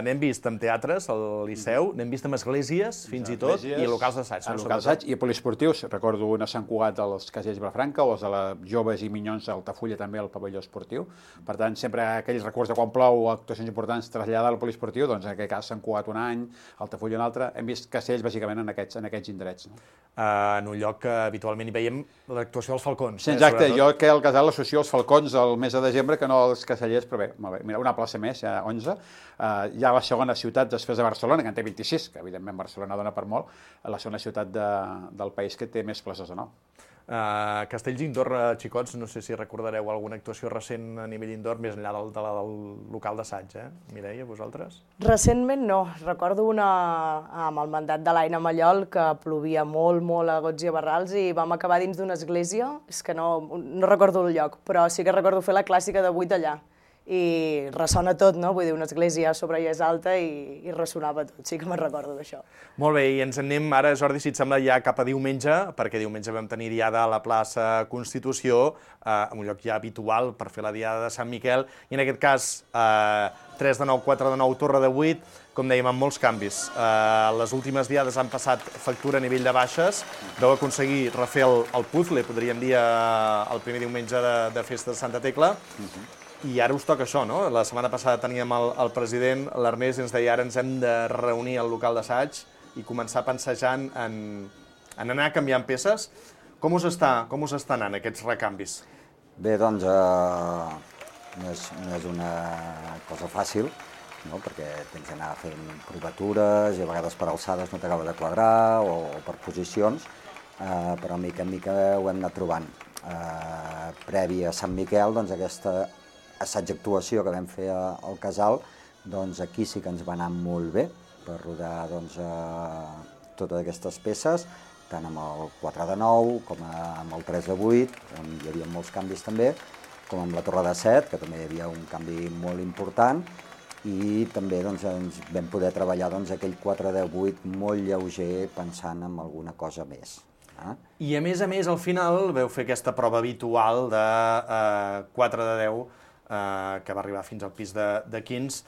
n'hem vist en teatres, al Liceu, n'hem vist en esglésies, fins i tot, i locals d'assaig. Locals d'assaig i poliesportius, recordo una Sant Cugat als Castellers de Vilafranca, o els de la Joves i Minyons d'Altafulla també al pavelló esportiu. Per tant, sempre aquell recurs de quan plou o actuacions importants traslladar al poliesportiu, doncs en aquest cas Sant Cugat un any, Altafulla un altre, hem vist castells bàsicament en aquests indrets. En un lloc que habitualment hi veiem l'actuació dels falcons. Sí, exacte, jo que al Casal l'associo als falcons el mes de desembre que no als castellers, però bé, mira, una plaça més, ja 11, hi ha la segona ciutat després de Barcelona, que en té 26, que evidentment Barcelona dona per molt, la segona ciutat del país que té més places de nou. Castells indoor, xicots, no sé si recordareu alguna actuació recent a nivell indoor, més enllà del local d'assaig, Mireia, vosaltres? Recentment no, recordo una amb el mandat de l'Aina Mallol, que plovia molt a gots i a barrals, i vam acabar dins d'una església, és que no recordo el lloc, però sí que recordo fer la clàssica de 8 allà. I ressona tot, no? Vull dir, una església a sobre i és alta i ressonava tot, sí que me'n recordo d'això. Molt bé, i ens anem ara, Jordi, si et sembla, ja cap a diumenge, perquè diumenge vam tenir diada a la plaça Constitució, en un lloc ja habitual per fer la diada de Sant Miquel, i en aquest cas 3 de 9, 4 de 9, Torre de 8, com dèiem, amb molts canvis. Les últimes diades han passat factura a nivell de baixes, vau aconseguir refer el puzzle, podríem dir, el primer diumenge de festa de Santa Tecla, i ara us toca això, no? La setmana passada teníem el president, l'Ernest, i ens deia ara ens hem de reunir al local d'assaig i començar pensejant en anar canviant peces. Com us està anant aquests recanvis? Bé, doncs, no és una cosa fàcil, no? Perquè tens d'anar fent provatures i a vegades per alçades no t'acaba de quadrar o per posicions, però mica en mica ho hem anat trobant. Previ a Sant Miquel, doncs aquesta assaig-actuació que vam fer al Casal, doncs aquí sí que ens va anar molt bé per rodar totes aquestes peces, tant amb el 4 de 9 com amb el 3 de 8, on hi havia molts canvis també, com amb la Torre de 7, que també hi havia un canvi molt important, i també ens vam poder treballar aquell 4 de 8 molt lleuger pensant en alguna cosa més. I a més, al final veu fer aquesta prova habitual de 4 de 10, que va arribar fins al pis de 15,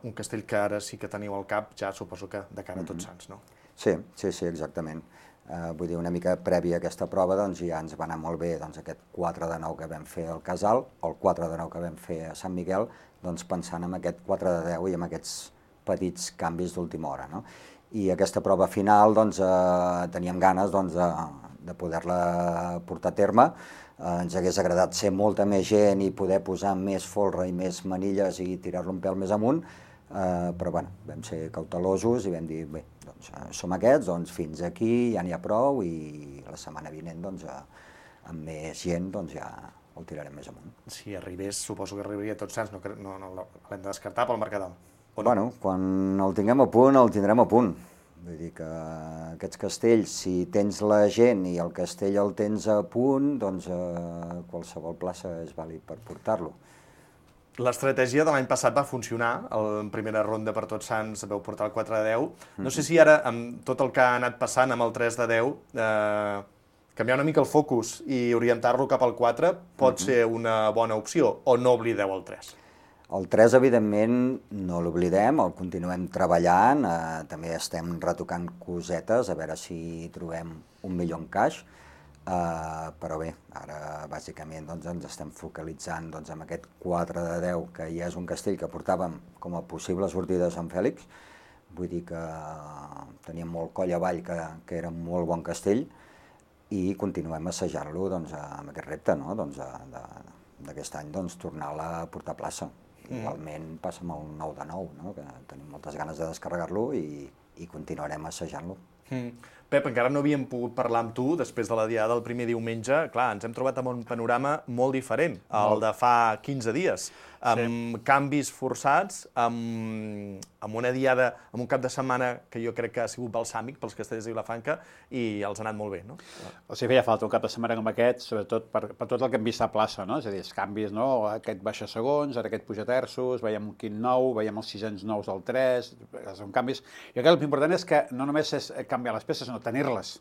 un castell que ara sí que teniu al cap, ja suposo que de cara a Tots Sants, no? Sí, exactament. Vull dir, una mica prèvia a aquesta prova, doncs ja ens va anar molt bé aquest 4 de 9 que vam fer al Casal, o el 4 de 9 que vam fer a Sant Miquel, doncs pensant en aquest 4 de 10 i en aquests petits canvis d'última hora, no? I aquesta prova final, doncs, teníem ganes de poder-la portar a terme, ens hagués agradat ser molta més gent i poder posar més folre i més manilles i tirar-lo un pèl més amunt, però bueno, vam ser cautelosos i vam dir, bé, doncs som aquests, doncs fins aquí ja n'hi ha prou i la setmana vinent, doncs, amb més gent, doncs ja el tirarem més amunt. Si arribés, suposo que arribaria a Tots Sants, no l'hem de descartar pel Mercadal. Bueno, quan el tinguem a punt, el tindrem a punt. Vull dir que aquests castells, si tens la gent i el castell el tens a punt, doncs qualsevol plaça és vàlid per portar-lo. L'estratègia de l'any passat va funcionar, en primera ronda per Tots Sants vau portar el 4 de 10. No sé si ara, amb tot el que ha anat passant amb el 3 de 10, canviar una mica el focus i orientar-lo cap al 4 pot ser una bona opció, o no oblideu el 3? El 3, evidentment, no l'oblidem, el continuem treballant, també estem retocant cosetes, a veure si trobem un millor encaix, però bé, ara bàsicament ens estem focalitzant en aquest 4 de 10, que ja és un castell que portàvem com a possible sortida de Sant Fèlix, vull dir que teníem molt coll avall, que era un molt bon castell, i continuem assajant-lo amb aquest repte d'aquest any, tornar-la a portar a plaça. Igualment passa amb el 9 de 9, que tenim moltes ganes de descarregar-lo i continuarem assajant-lo. Pep, encara no havíem pogut parlar amb tu després de la diada del primer diumenge. Clar, ens hem trobat amb un panorama molt diferent, el de fa 15 dies, amb canvis forçats, amb una diada, amb un cap de setmana que jo crec que ha sigut balsàmic pels castellers de Vilafranca i els ha anat molt bé, no? O sigui, feia falta un cap de setmana com aquest, sobretot per tot el que hem vist a plaça, no? És a dir, els canvis, no? Aquest baixa segons, ara aquest puja terços, veiem un quint nou, veiem els sisens nous del 3, són canvis. Jo crec que l'important és que no només és canviar les peces, sinó tenir-les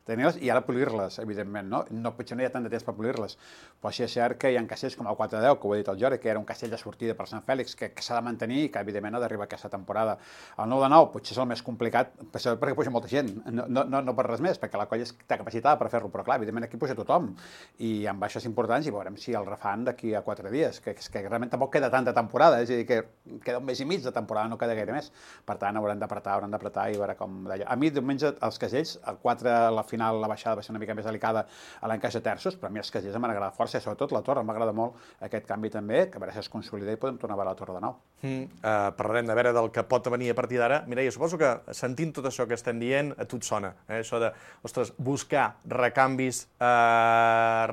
i ara polir-les, evidentment, no? Potser no hi ha tant de temps per polir-les, però sí és cert que hi ha castells com el 4 de 10, que ho ha dit el Jordi, que era un castell de sortida per Sant Fèlix, que s'ha de mantenir i que, evidentment, ha d'arribar aquesta temporada. El 9 de 9 potser és el més complicat, perquè puja molta gent, no per res més, perquè la colla té capacitat per fer-lo, però clar, evidentment aquí puja tothom, i amb baixes importants, i veurem si el refan d'aquí a 4 dies, que realment tampoc queda tanta temporada, és a dir, que queda un mes i mig de temporada, no queda gaire més. Per tant, haurem d'apretar i veure com d'allò. A mi, diumenge, els castells, el 4, la final, la baixada va ser una mica més delicada a l'encaix de terços, però a mi els castells m'han agradat força, sobretot la torre, m'agrada molt aquest canvi també, que a veure si es consolida i podem tornar a veure la torre de nou. Parlarem de veure del que pot venir a partir d'ara. Mireia, suposo que sentint tot això que estem dient, a tu et sona, això de, ostres, buscar recanvis,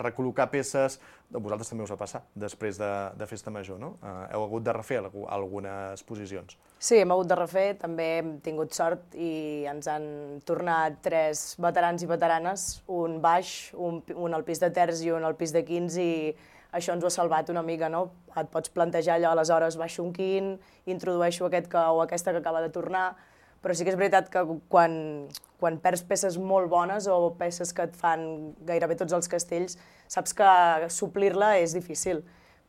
recol·locar peces. A vosaltres també us va passar després de Festa Major, no? Heu hagut de refer algunes posicions. Sí, hem hagut de refer, també hem tingut sort i ens han tornat 3 veterans i veteranes, un baix, un al pis de terç i un al pis de quins, i això ens ho ha salvat una mica, no? Et pots plantejar allò, aleshores baixo un quin, introdueixo aquest o aquesta que acaba de tornar, però sí que és veritat que quan perds peces molt bones o peces que et fan gairebé tots els castells, saps que suplir-la és difícil,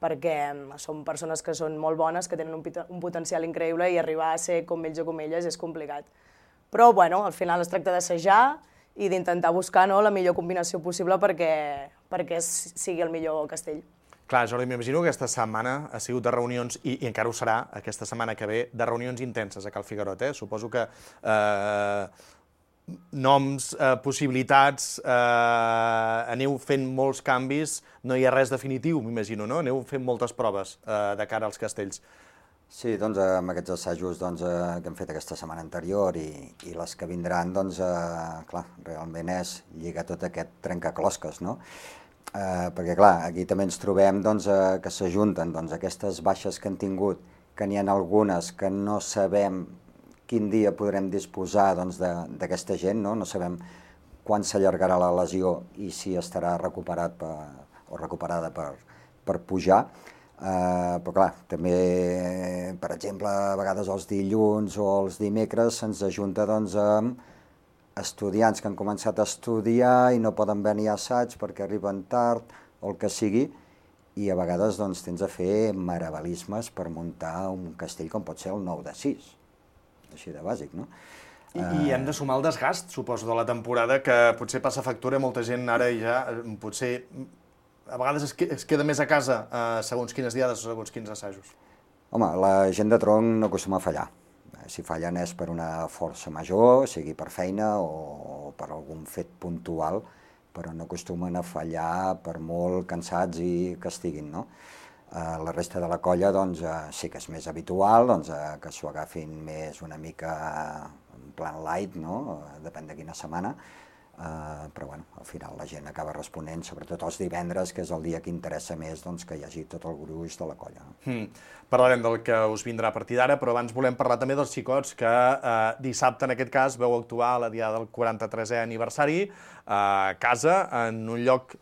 perquè són persones que són molt bones, que tenen un potencial increïble i arribar a ser com ells o com elles és complicat. Però, bueno, al final es tracta d'assajar i d'intentar buscar la millor combinació possible perquè sigui el millor castell. Clar, Jordi, m'imagino que aquesta setmana ha sigut de reunions, i encara ho serà aquesta setmana que ve, de reunions intenses a Cal Figuerot. Suposo que noms, possibilitats, aneu fent molts canvis, no hi ha res definitiu, m'imagino, no? Aneu fent moltes proves de cara als castells. Sí, doncs amb aquests assajos que hem fet aquesta setmana anterior i les que vindran, doncs, clar, realment és lligar tot aquest trencaclosques, no? Perquè, clar, aquí també ens trobem que s'ajunten aquestes baixes que han tingut, que n'hi ha algunes que no sabem quin dia podrem disposar d'aquesta gent, no sabem quan s'allargarà la lesió i si estarà recuperat o recuperada per pujar. Però, clar, també, per exemple, a vegades els dilluns o els dimecres se'ns ajunta amb estudiants que han començat a estudiar i no poden venir a assaig perquè arriben tard o el que sigui, i a vegades tens de fer meravalismes per muntar un castell com pot ser el 9 de 6, així de bàsic, no? I hem de sumar el desgast, suposo, de la temporada, que potser passa factura, molta gent ara ja potser a vegades es queda més a casa segons quines diades o segons quins assajos. Home, la gent de tronc no acostuma a fallar. Si fallen és per una força major, sigui per feina o per algun fet puntual, no acostumen a fallar per molt cansats i que estiguin, no? La resta de la colla doncs, sí que és més habitual que s'ho agafin més una mica en plan light, no? Depèn de quina setmana, però bueno, al final la gent acaba responent, sobretot els divendres, que és el dia que interessa més que hi hagi tot el gruix de la colla. Parlarem del que us vindrà a partir d'ara, però abans volem parlar també dels xicots que dissabte, en aquest cas, veu actuar a la diada del 43è aniversari a casa, en un lloc,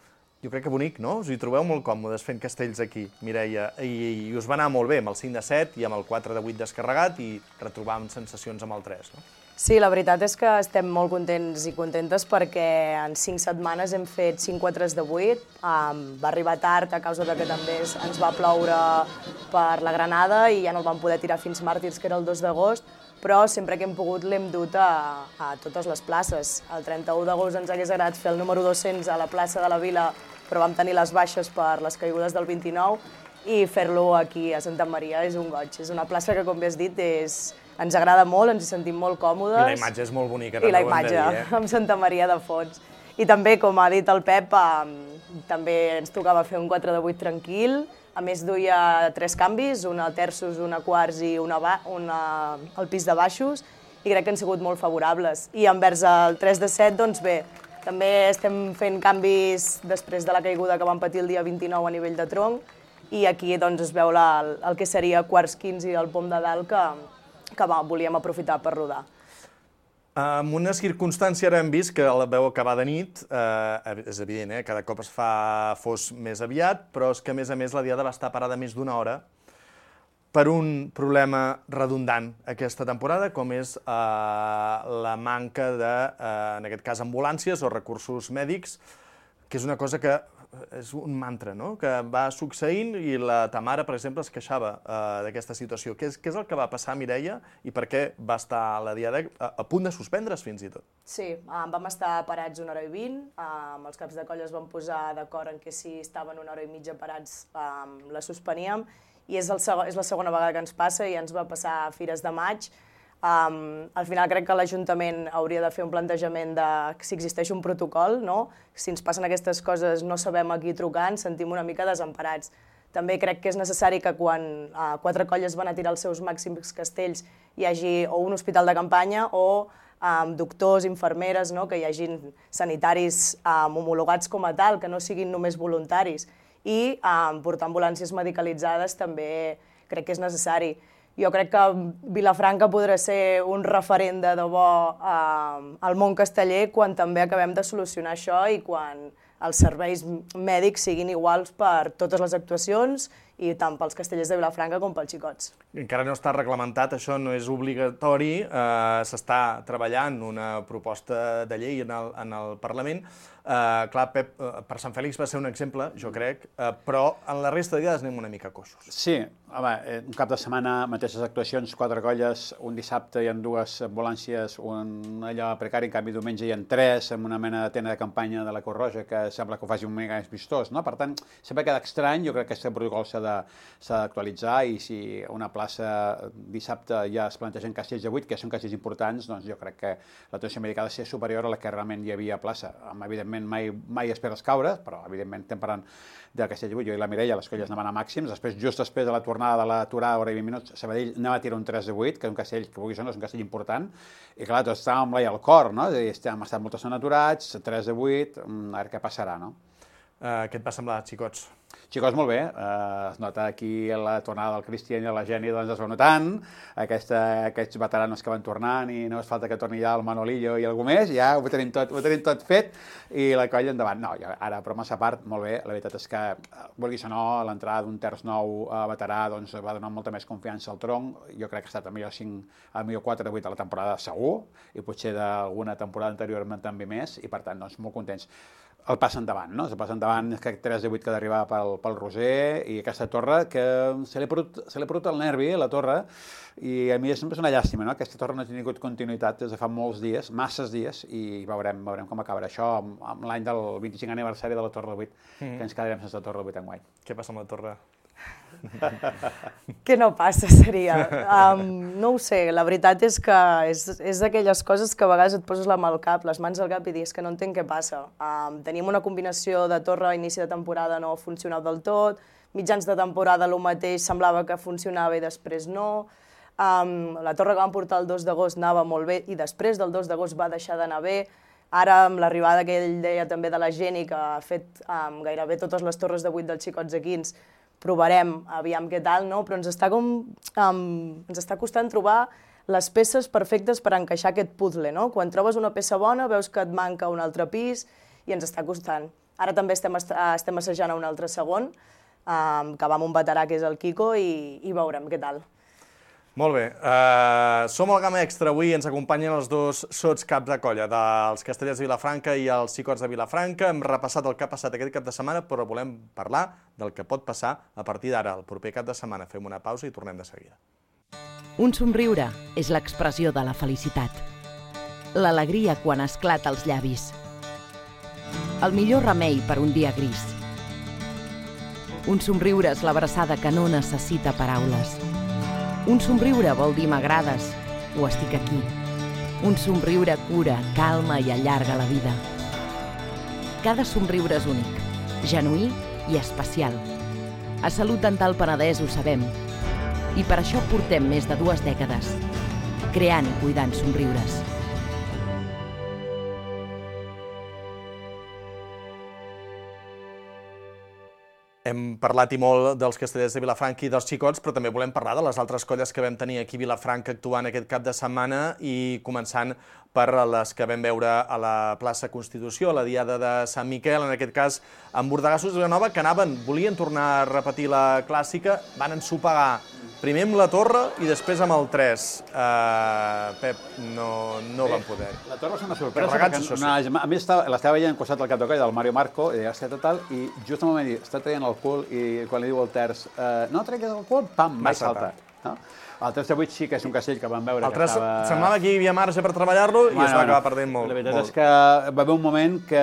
jo crec que bonic, no? Us hi trobeu molt còmodes fent castells aquí, Mireia, i us va anar molt bé amb el 5 de 7 i amb el 4 de 8 descarregat i retrobàvem sensacions amb el 3, no? Sí, la veritat és que estem molt contents i contentes perquè en 5 setmanes hem fet 5 4s de 8. Va arribar tard a causa que també ens va ploure per la Granada i ja no el vam poder tirar fins màrtirs, que era el 2 d'agost, però sempre que hem pogut l'hem dut a totes les places. El 31 d'agost ens hagués agradat fer el número 200 a la plaça de la Vila, però vam tenir les baixes per les caigudes del 29 i fer-lo aquí a Santa Maria és un goig. És una plaça que, com bé has dit, ens agrada molt, ens hi sentim molt còmodes. I la imatge és molt bonica, també ho hem de dir. I la imatge, amb Santa Maria de fons. I també, com ha dit el Pep, també ens tocava fer un 4 de 8 tranquil. A més, duia 3 canvis, una terços, una quarts i una al pis de baixos, i crec que han sigut molt favorables. I envers el 3 de 7, doncs bé, també estem fent canvis després de la caiguda que vam patir el dia 29 a nivell de tronc, i aquí doncs es veu el que seria quarts 15 del pom de dalt que volíem aprofitar per rodar. En una circumstància ara hem vist que la veu acabar de nit, és evident, cada cop es fa fos més aviat, però és que a més la diada va estar parada més d'una hora per un problema redundant aquesta temporada, com és la manca de, en aquest cas, ambulàncies o recursos mèdics, que és una cosa que és un mantra, no?, que va succeint i la Tamara, per exemple, es queixava d'aquesta situació. Què és el que va passar, Mireia, i per què va estar la diada a punt de suspendre's fins i tot? Sí, vam estar parats 1 hora i 20, amb els caps de colla es van posar d'acord en que si estaven 1 hora i mitja parats la suspeníem, i és la segona vegada que ens passa i ens va passar a Fires de Maig. Al final crec que l'Ajuntament hauria de fer un plantejament de si existeix un protocol, no? Si ens passen aquestes coses no sabem a qui trucar, ens sentim una mica desemparats. També crec que és necessari que quan 4 colles van a tirar els seus màxims castells hi hagi o un hospital de campanya o doctors, infermeres, que hi hagin sanitaris homologats com a tal, que no siguin només voluntaris. I portar ambulàncies medicalitzades també crec que és necessari. Jo crec que Vilafranca podrà ser un referent de debò al món casteller quan també acabem de solucionar això i quan els serveis mèdics siguin iguals per totes les actuacions i tant pels castellers de Vilafranca com pels xicots. Encara no està reglamentat, això no és obligatori, s'està treballant una proposta de llei en el Parlament. Clar, Pep, per Sant Fèlix va ser un exemple, jo crec, però en la resta de diades anem una mica coixos. Sí, home, un cap de setmana, mateixes actuacions, 4 colles, un dissabte hi ha 2 ambulàncies, un allò precari, en canvi diumenge hi ha 3, amb una mena de tenda de campanya de la Creu Roja que sembla que ho faci un mica més vistós, no? Per tant, sempre queda estrany, jo crec que aquest protocol s'ha d'actualitzar i si una plaça dissabte ja es plantegen castells de 8, que són castells importants, doncs jo crec que l'atenció mèdica ha de ser superior a la que realment hi havia a plaça. Evidentment, mai esperes caure, però evidentment estem parlant de Castell de 8. Jo i la Mireia, les colles anaven a màxims, just després de la tornada de l'aturada, hora i 20 minuts, Sabadell anava a tirar un 3 de 8, que és un castell, que vulguis o no, és un castell important, i clar, tots estàvem amb l'ai al cor, no? És a dir, hem estat moltes aturats, 3 de 8, a veure què passarà, no? Què et va semblar, xicots? Xicots, molt bé. Es nota aquí la tornada del Cristian i de la Geni, doncs es va notant. Aquests veteranos que van tornant i no es falta que torni ja el Manolillo i algú més, ja ho tenim tot fet i la colla endavant. No, ara, bromes a part, molt bé. La veritat és que, vulguis o no, l'entrada d'un terç nou veterà doncs, va donar molta més confiança al tronc. Jo crec que ha estat el millor 4 de 8 de la temporada segur i potser d'alguna temporada anterior també més i per tant, doncs, molt contents. El pas endavant, no? El pas endavant és que 3 de 8 que ha d'arribar pel Roser i aquesta torre que se li ha perdut el nervi, la torre, i a mi sempre és una llàstima, no? Aquesta torre no ha tingut continuïtat des de fa molts dies, masses dies, i veurem com acabarà això amb l'any del 25 aniversari de la Torre del 8, que ens quedarem sense la Torre del 8 enguany. Què passa amb la torre? Què no passa, seria? No ho sé, la veritat és que és d'aquelles coses que a vegades et poses la mà al cap, les mans al cap i dius que no entenc què passa. Teníem una combinació de torre a inici de temporada no funcionava del tot, mitjans de temporada el mateix semblava que funcionava i després no. La torre que vam portar el 2 d'agost anava molt bé i després del 2 d'agost va deixar d'anar bé. Ara, amb l'arribada que ell deia també de la Geni, que ha fet gairebé totes les torres de 8 dels xicots aquí, provarem, aviam què tal, no? Però ens està costant trobar les peces perfectes per encaixar aquest puzzle, no? Quan trobes una peça bona veus que et manca un altre pis i ens està costant. Ara també estem assajant a un altre segon, que va amb un veterà que és el Quico i veurem què tal. Molt bé. Som al Gamma Extra. Avui ens acompanyen els dos sots caps de colla dels Castellers de Vilafranca i els Xicots de Vilafranca. Hem repassat el que ha passat aquest cap de setmana, però volem parlar del que pot passar a partir d'ara, el proper cap de setmana. Fem una pausa i tornem de seguida. Un somriure és l'expressió de la felicitat. L'alegria quan esclata als llavis. El millor remei per un dia gris. Un somriure és l'abraçada que no necessita paraules. Un somriure vol dir m'agrades o estic aquí. Un somriure cura, calma i allarga la vida. Cada somriure és únic, genuí i especial. A Salut Dental Penedès ho sabem. I per això portem més de 2 dècades, creant i cuidant somriures. Hem parlat i molt dels Castellers de Vilafranca i dels Xicots, però també volem parlar de les altres colles que vam tenir aquí a Vilafranca actuant aquest cap de setmana i començant per les que vam veure a la plaça Constitució, a la Diada de Sant Miquel, en aquest cas amb Bordegassos de Vilanova, que volien tornar a repetir la clàssica, van ensopegar primer amb la Torre i després amb el 3. Pep, no van poder. La Torre és una sorpresa, perquè a més l'estava veient al costat del cap de colla del Mario Marco, i deia, tal, i just al moment està traient el cul i quan li diu el terç, no treguis el cul, pam, mai salta. El 3 de 8 sí que és un castell que vam veure que estava... Semblava que hi havia marge per treballar-lo i es va acabar perdent molt. La veritat és que va haver un moment que,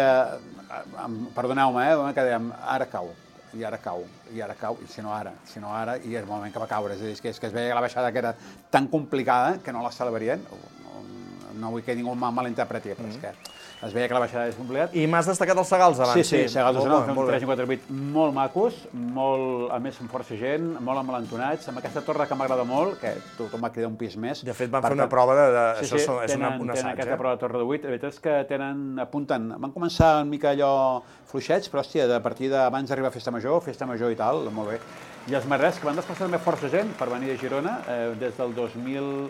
perdoneu-me, que dèiem, ara cau, i ara cau, i si no ara, i és el moment que va caure. És a dir, que es veia que la baixada que era tan complicada que no la celebrarien. No vull que ningú malinterpreti, però és que es veia que la baixada és complicat. I m'has destacat els Segals abans. Sí, Segals de Sonor, fem 3 i 4 8 molt macos, a més amb força gent, molt amalantonats, amb aquesta torre que m'agrada molt, que tothom va cridar un pis més. De fet, van fer una prova de... Això és un assaig, tenen aquesta prova de torre de 8, la veritat és que apunten, van començar una mica allò fluixets, però hòstia, a partir d'abans d'arribar a Festa Major i tal, molt bé. I els marrets, que van desplaçar també força gent per venir a Girona, des del 2018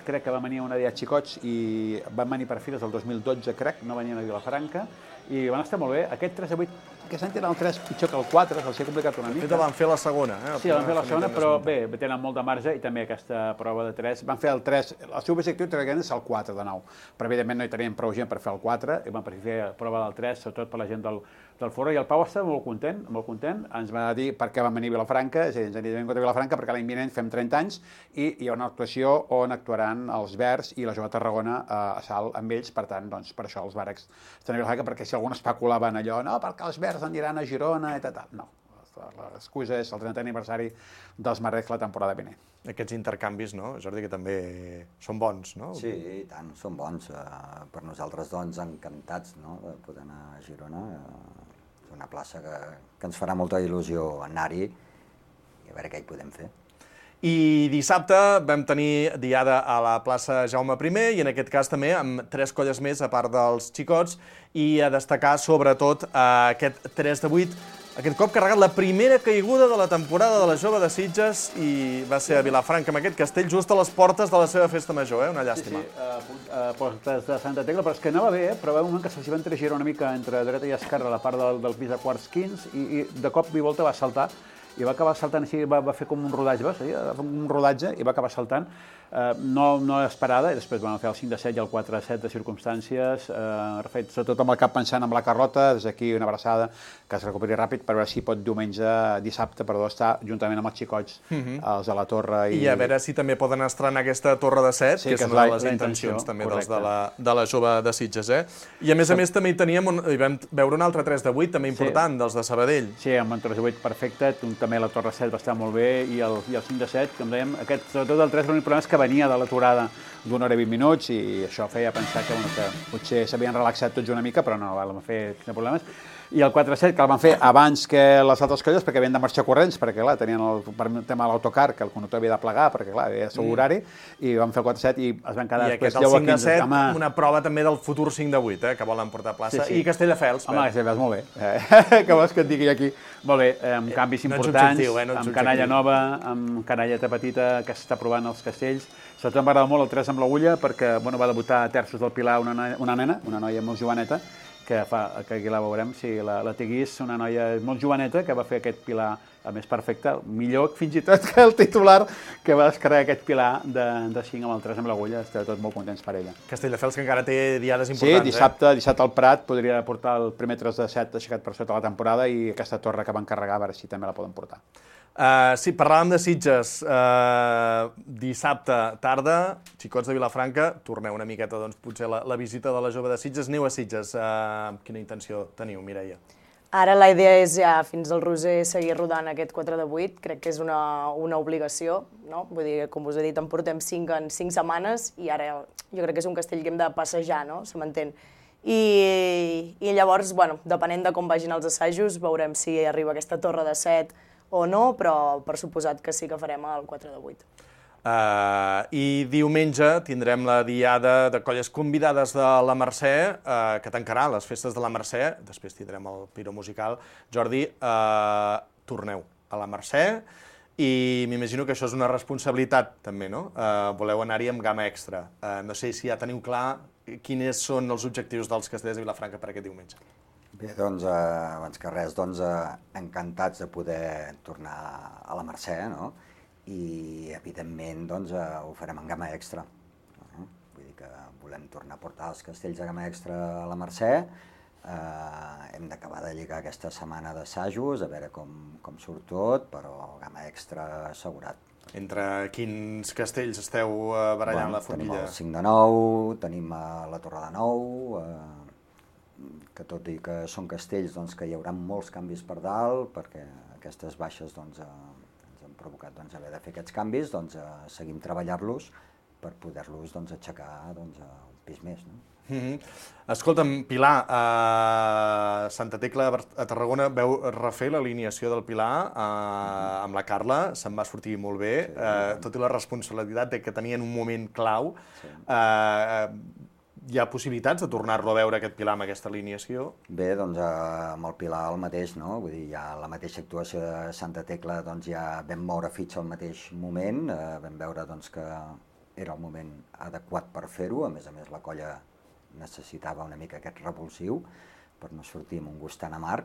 crec que va venir una dia Xicots i van venir per fi des del 2012, crec, no venien a Vilafranca, i van estar molt bé. Aquest 3 de 8, aquest any tenen el 3 pitjor que el 4, se'ls ha complicat una mica. De fet, van fer la segona. Sí, van fer la segona, però bé, tenen molt de marge i també aquesta prova de 3. Van fer el 3, el seu objectiu és el 4 de nou, però evidentment no hi tenien prou gent per fer el 4, i van preferir fer la prova del 3, sobretot per la gent del Forro, i el Pau està molt content, ens va dir per què van venir a Vilafranca, és a dir, ens anirem contra Vilafranca perquè l'any vinent fem 30 anys i hi ha una actuació on actuaran els Verds i la Jove Tarragona a Salt amb ells, per tant, doncs, per això els Varecs estan a Vilafranca, perquè si algun especulaven allò, no, perquè els Verds aniran a Girona i tal, no. L'excusa és el 30è aniversari dels Marrecs la temporada vinent. Aquests intercanvis, no, Jordi, que també són bons, no? Sí, i tant, són bons. Per nosaltres, doncs, encantats de poder anar a Girona. És una plaça que ens farà molta il·lusió anar-hi i a veure què hi podem fer. I dissabte vam tenir diada a la plaça Jaume I, i en aquest cas també amb 3 colles més a part dels Xicots, i a destacar sobretot aquest 3 de 8, aquest cop carregat la primera caiguda de la temporada de la Jove de Sitges, i va ser a Vilafranca, amb aquest castell just a les portes de la seva festa major, una llàstima. Sí, a portes de Santa Tecla, però és que anava bé, però va un moment que se'ls va entregirar una mica entre dreta i esquerra a la part del pis de quarts 15, i de cop i volta va saltar, i va acabar saltant així, va fer com un rodatge, i va acabar saltant, no esperada, i després van fer el 5 de 7 i el 4 de 7 de circumstàncies, sobretot amb el cap pensant amb la Carlota, des d'aquí una abraçada, que es recuperi ràpid per veure si pot dissabte, estar juntament amb els Xicots, els de la Torre. I a veure si també poden estrenar aquesta Torre de 7, que és una de les intencions també de la Jove de Sitges. I a més també hi vam veure un altre 3 de 8, també important, dels de Sabadell. Sí, amb un 3 de 8 perfecte, també també la Torre 7 va estar molt bé, i el 5 de 7, com dèiem, sobretot el 3, l'únic problema és que venia de l'aturada d'una hora i 20 minuts, i això feia pensar que potser s'havien relaxat tots una mica, però no, vam fer problemes. I el 4-7, que el van fer abans que les altres colles, perquè havien de marxar corrents, perquè, clar, tenien el tema de l'autocar, que el conductor havia de plegar, perquè, clar, havia de ser horari, i van fer el 4-7 i es van quedar després... I aquest, el 5-7, una prova també del futur 5-8, que volen portar plaça. I Castelldefels. Home, Castelldefels, molt bé. Què vols que et digui aquí? Molt bé, amb canvis importants, amb canalla nova, amb canalleta petita que s'està provant als castells. Sobretot m'agrada molt el 3 amb l'agulla, perquè va debutar a terços del Pilar una nena, una noia molt joveneta, que aquí la veurem, la Teguís, una noia molt joveneta que va fer aquest Pilar a més perfecte, millor fins i tot que el titular que va descarregar aquest Pilar de 5 amb el 3 amb l'agulla. Estem tots molt contents per ella. Castelldefels, que encara té diades importants. Sí, dissabte al Prat podria portar el primer 3 de 7 aixecat per sota la temporada, i aquesta torre que van carregar, a veure si també la poden portar. Sí, parlàvem de Sitges. Dissabte tarda, xicots de Vilafranca, torneu una miqueta, doncs, potser la visita de la jove de Sitges. Aneu a Sitges. Quina intenció teniu, Mireia? Ara la idea és ja fins al Roser seguir rodant aquest 4 de 8, crec que és una obligació, no? Vull dir, com us he dit, en portem 5 en 5 setmanes, i ara jo crec que és un castell que hem de passejar, no? Se m'entén. I llavors, bueno, depenent de com vagin els assajos, veurem si arriba aquesta torre de 7 o no, però per suposat que sí que farem el 4 de 8. I diumenge tindrem la diada de colles convidades de la Mercè, que tancarà les festes de la Mercè, després tindrem el piro musical. Jordi, torneu a la Mercè, i m'imagino que això és una responsabilitat també, no? Voleu anar-hi amb gamma extra. No sé si ja teniu clar quins són els objectius dels castellers de Vilafranca per aquest diumenge. Bé, doncs, abans que res, encantats de poder tornar a la Mercè, no? I, evidentment, doncs, ho farem en gamma extra. Vull dir que volem tornar a portar els castells de gamma extra a la Mercè. Hem d'acabar de lligar aquesta setmana d'assajos, a veure com surt tot, però gamma extra assegurat. Entre quins castells esteu barallant la forquilla? Tenim el 5 de 9, tenim la Torre de 9, que tot i que són castells que hi haurà molts canvis per dalt, perquè aquestes baixes ens han provocat haver de fer aquests canvis, seguim treballant-los per poder-los aixecar un pis més. Escolta'm, Pilar, Santa Tecla a Tarragona veu refer l'alineació del Pilar amb la Carla, se'n va sortir molt bé, tot i la responsabilitat que tenia en un moment clau. Hi ha possibilitats de tornar-lo a veure, aquest Pilar, amb aquesta alineació? Bé, doncs amb el Pilar el mateix, no? Vull dir, ja la mateixa actuació de Santa Tecla, doncs ja vam moure fitxa al mateix moment, vam veure que era el moment adequat per fer-ho, a més la colla necessitava una mica aquest revulsiu per no sortir amb un gust tan amarg,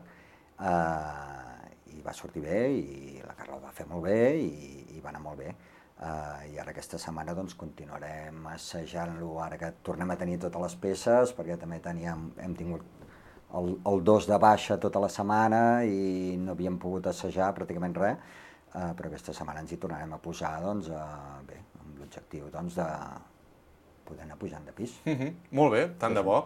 i va sortir bé, i la Carla ho va fer molt bé, i va anar molt bé. I ara aquesta setmana continuarem assajant-lo, ara que tornem a tenir totes les peces, perquè també hem tingut el 2 de baixa tota la setmana i no havíem pogut assajar pràcticament res, però aquesta setmana ens hi tornarem a posar, bé, amb l'objectiu de poder anar pujant de pis. Molt bé, tant de bo.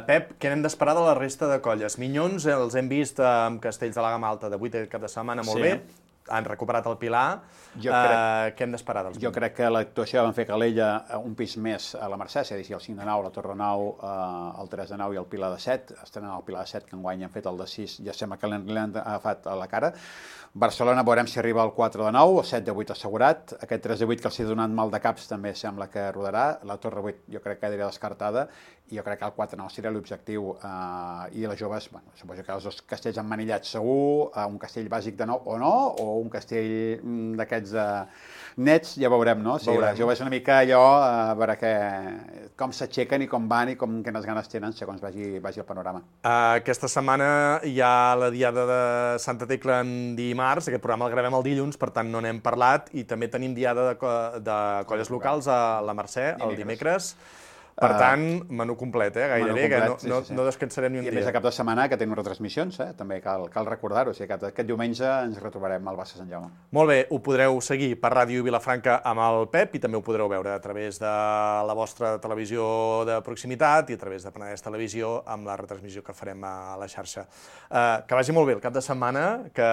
Pep, què n'hem d'esperar de la resta de colles? Minyons els hem vist amb castells de la gamma alta de 8 cap de setmana, molt bé. Han recuperat el Pilar. Què hem d'esperar dels Jo crec que l'actuació van fer Calella un pis més a la Mercè, és a dir, el 5 de 9, la Torre 9, el 3 de 9 i el Pilar de 7. Estan en el Pilar de 7, que enguany han fet el de 6, ja sembla que l'han agafat a la cara. Barcelona veurem si arriba al 4 de 9, el 7 de 8 assegurat. Aquest 3 de 8 que els ha donat mal de caps també sembla que rodarà. La Torre 8 jo crec que quedaria descartada, i jo crec que el 4 de 9 seria l'objectiu. I les joves, suposo que els dos castells emmanillats segur, un castell bàsic de 9 o no, o un castell d'aquests nets, ja veurem, no? Si les joves una mica allò, a veure com s'aixequen i com van i quines ganes tenen segons vagi el panorama. Aquesta setmana hi ha la diada de Santa Tecla en dimarts, aquest programa el gravem el dilluns, per tant no n'hem parlat, i també tenim diada de colles locals a la Mercè el dimecres. Per tant, menú complet, gairebé, que no descansarem ni un dia. I a més, a cap de setmana que tenim retransmissions, també cal recordar-ho. O sigui, aquest diumenge ens retrobarem al Barça Sant Jaume. Molt bé, ho podreu seguir per Ràdio Vilafranca amb el Pep i també ho podreu veure a través de la vostra televisió de proximitat i a través de Penedès Televisió amb la retransmissió que farem a la xarxa. Que vagi molt bé el cap de setmana, que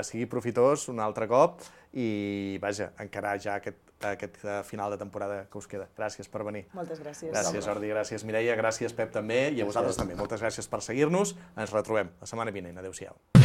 sigui profitós un altre cop i, vaja, encarar ja aquest final de temporada que us queda. Gràcies per venir. Moltes gràcies. Gràcies, Jordi, gràcies, Mireia, gràcies, Pep, també, i a vosaltres també. Moltes gràcies per seguir-nos. Ens retrobem la setmana vinent. Adéu-siau.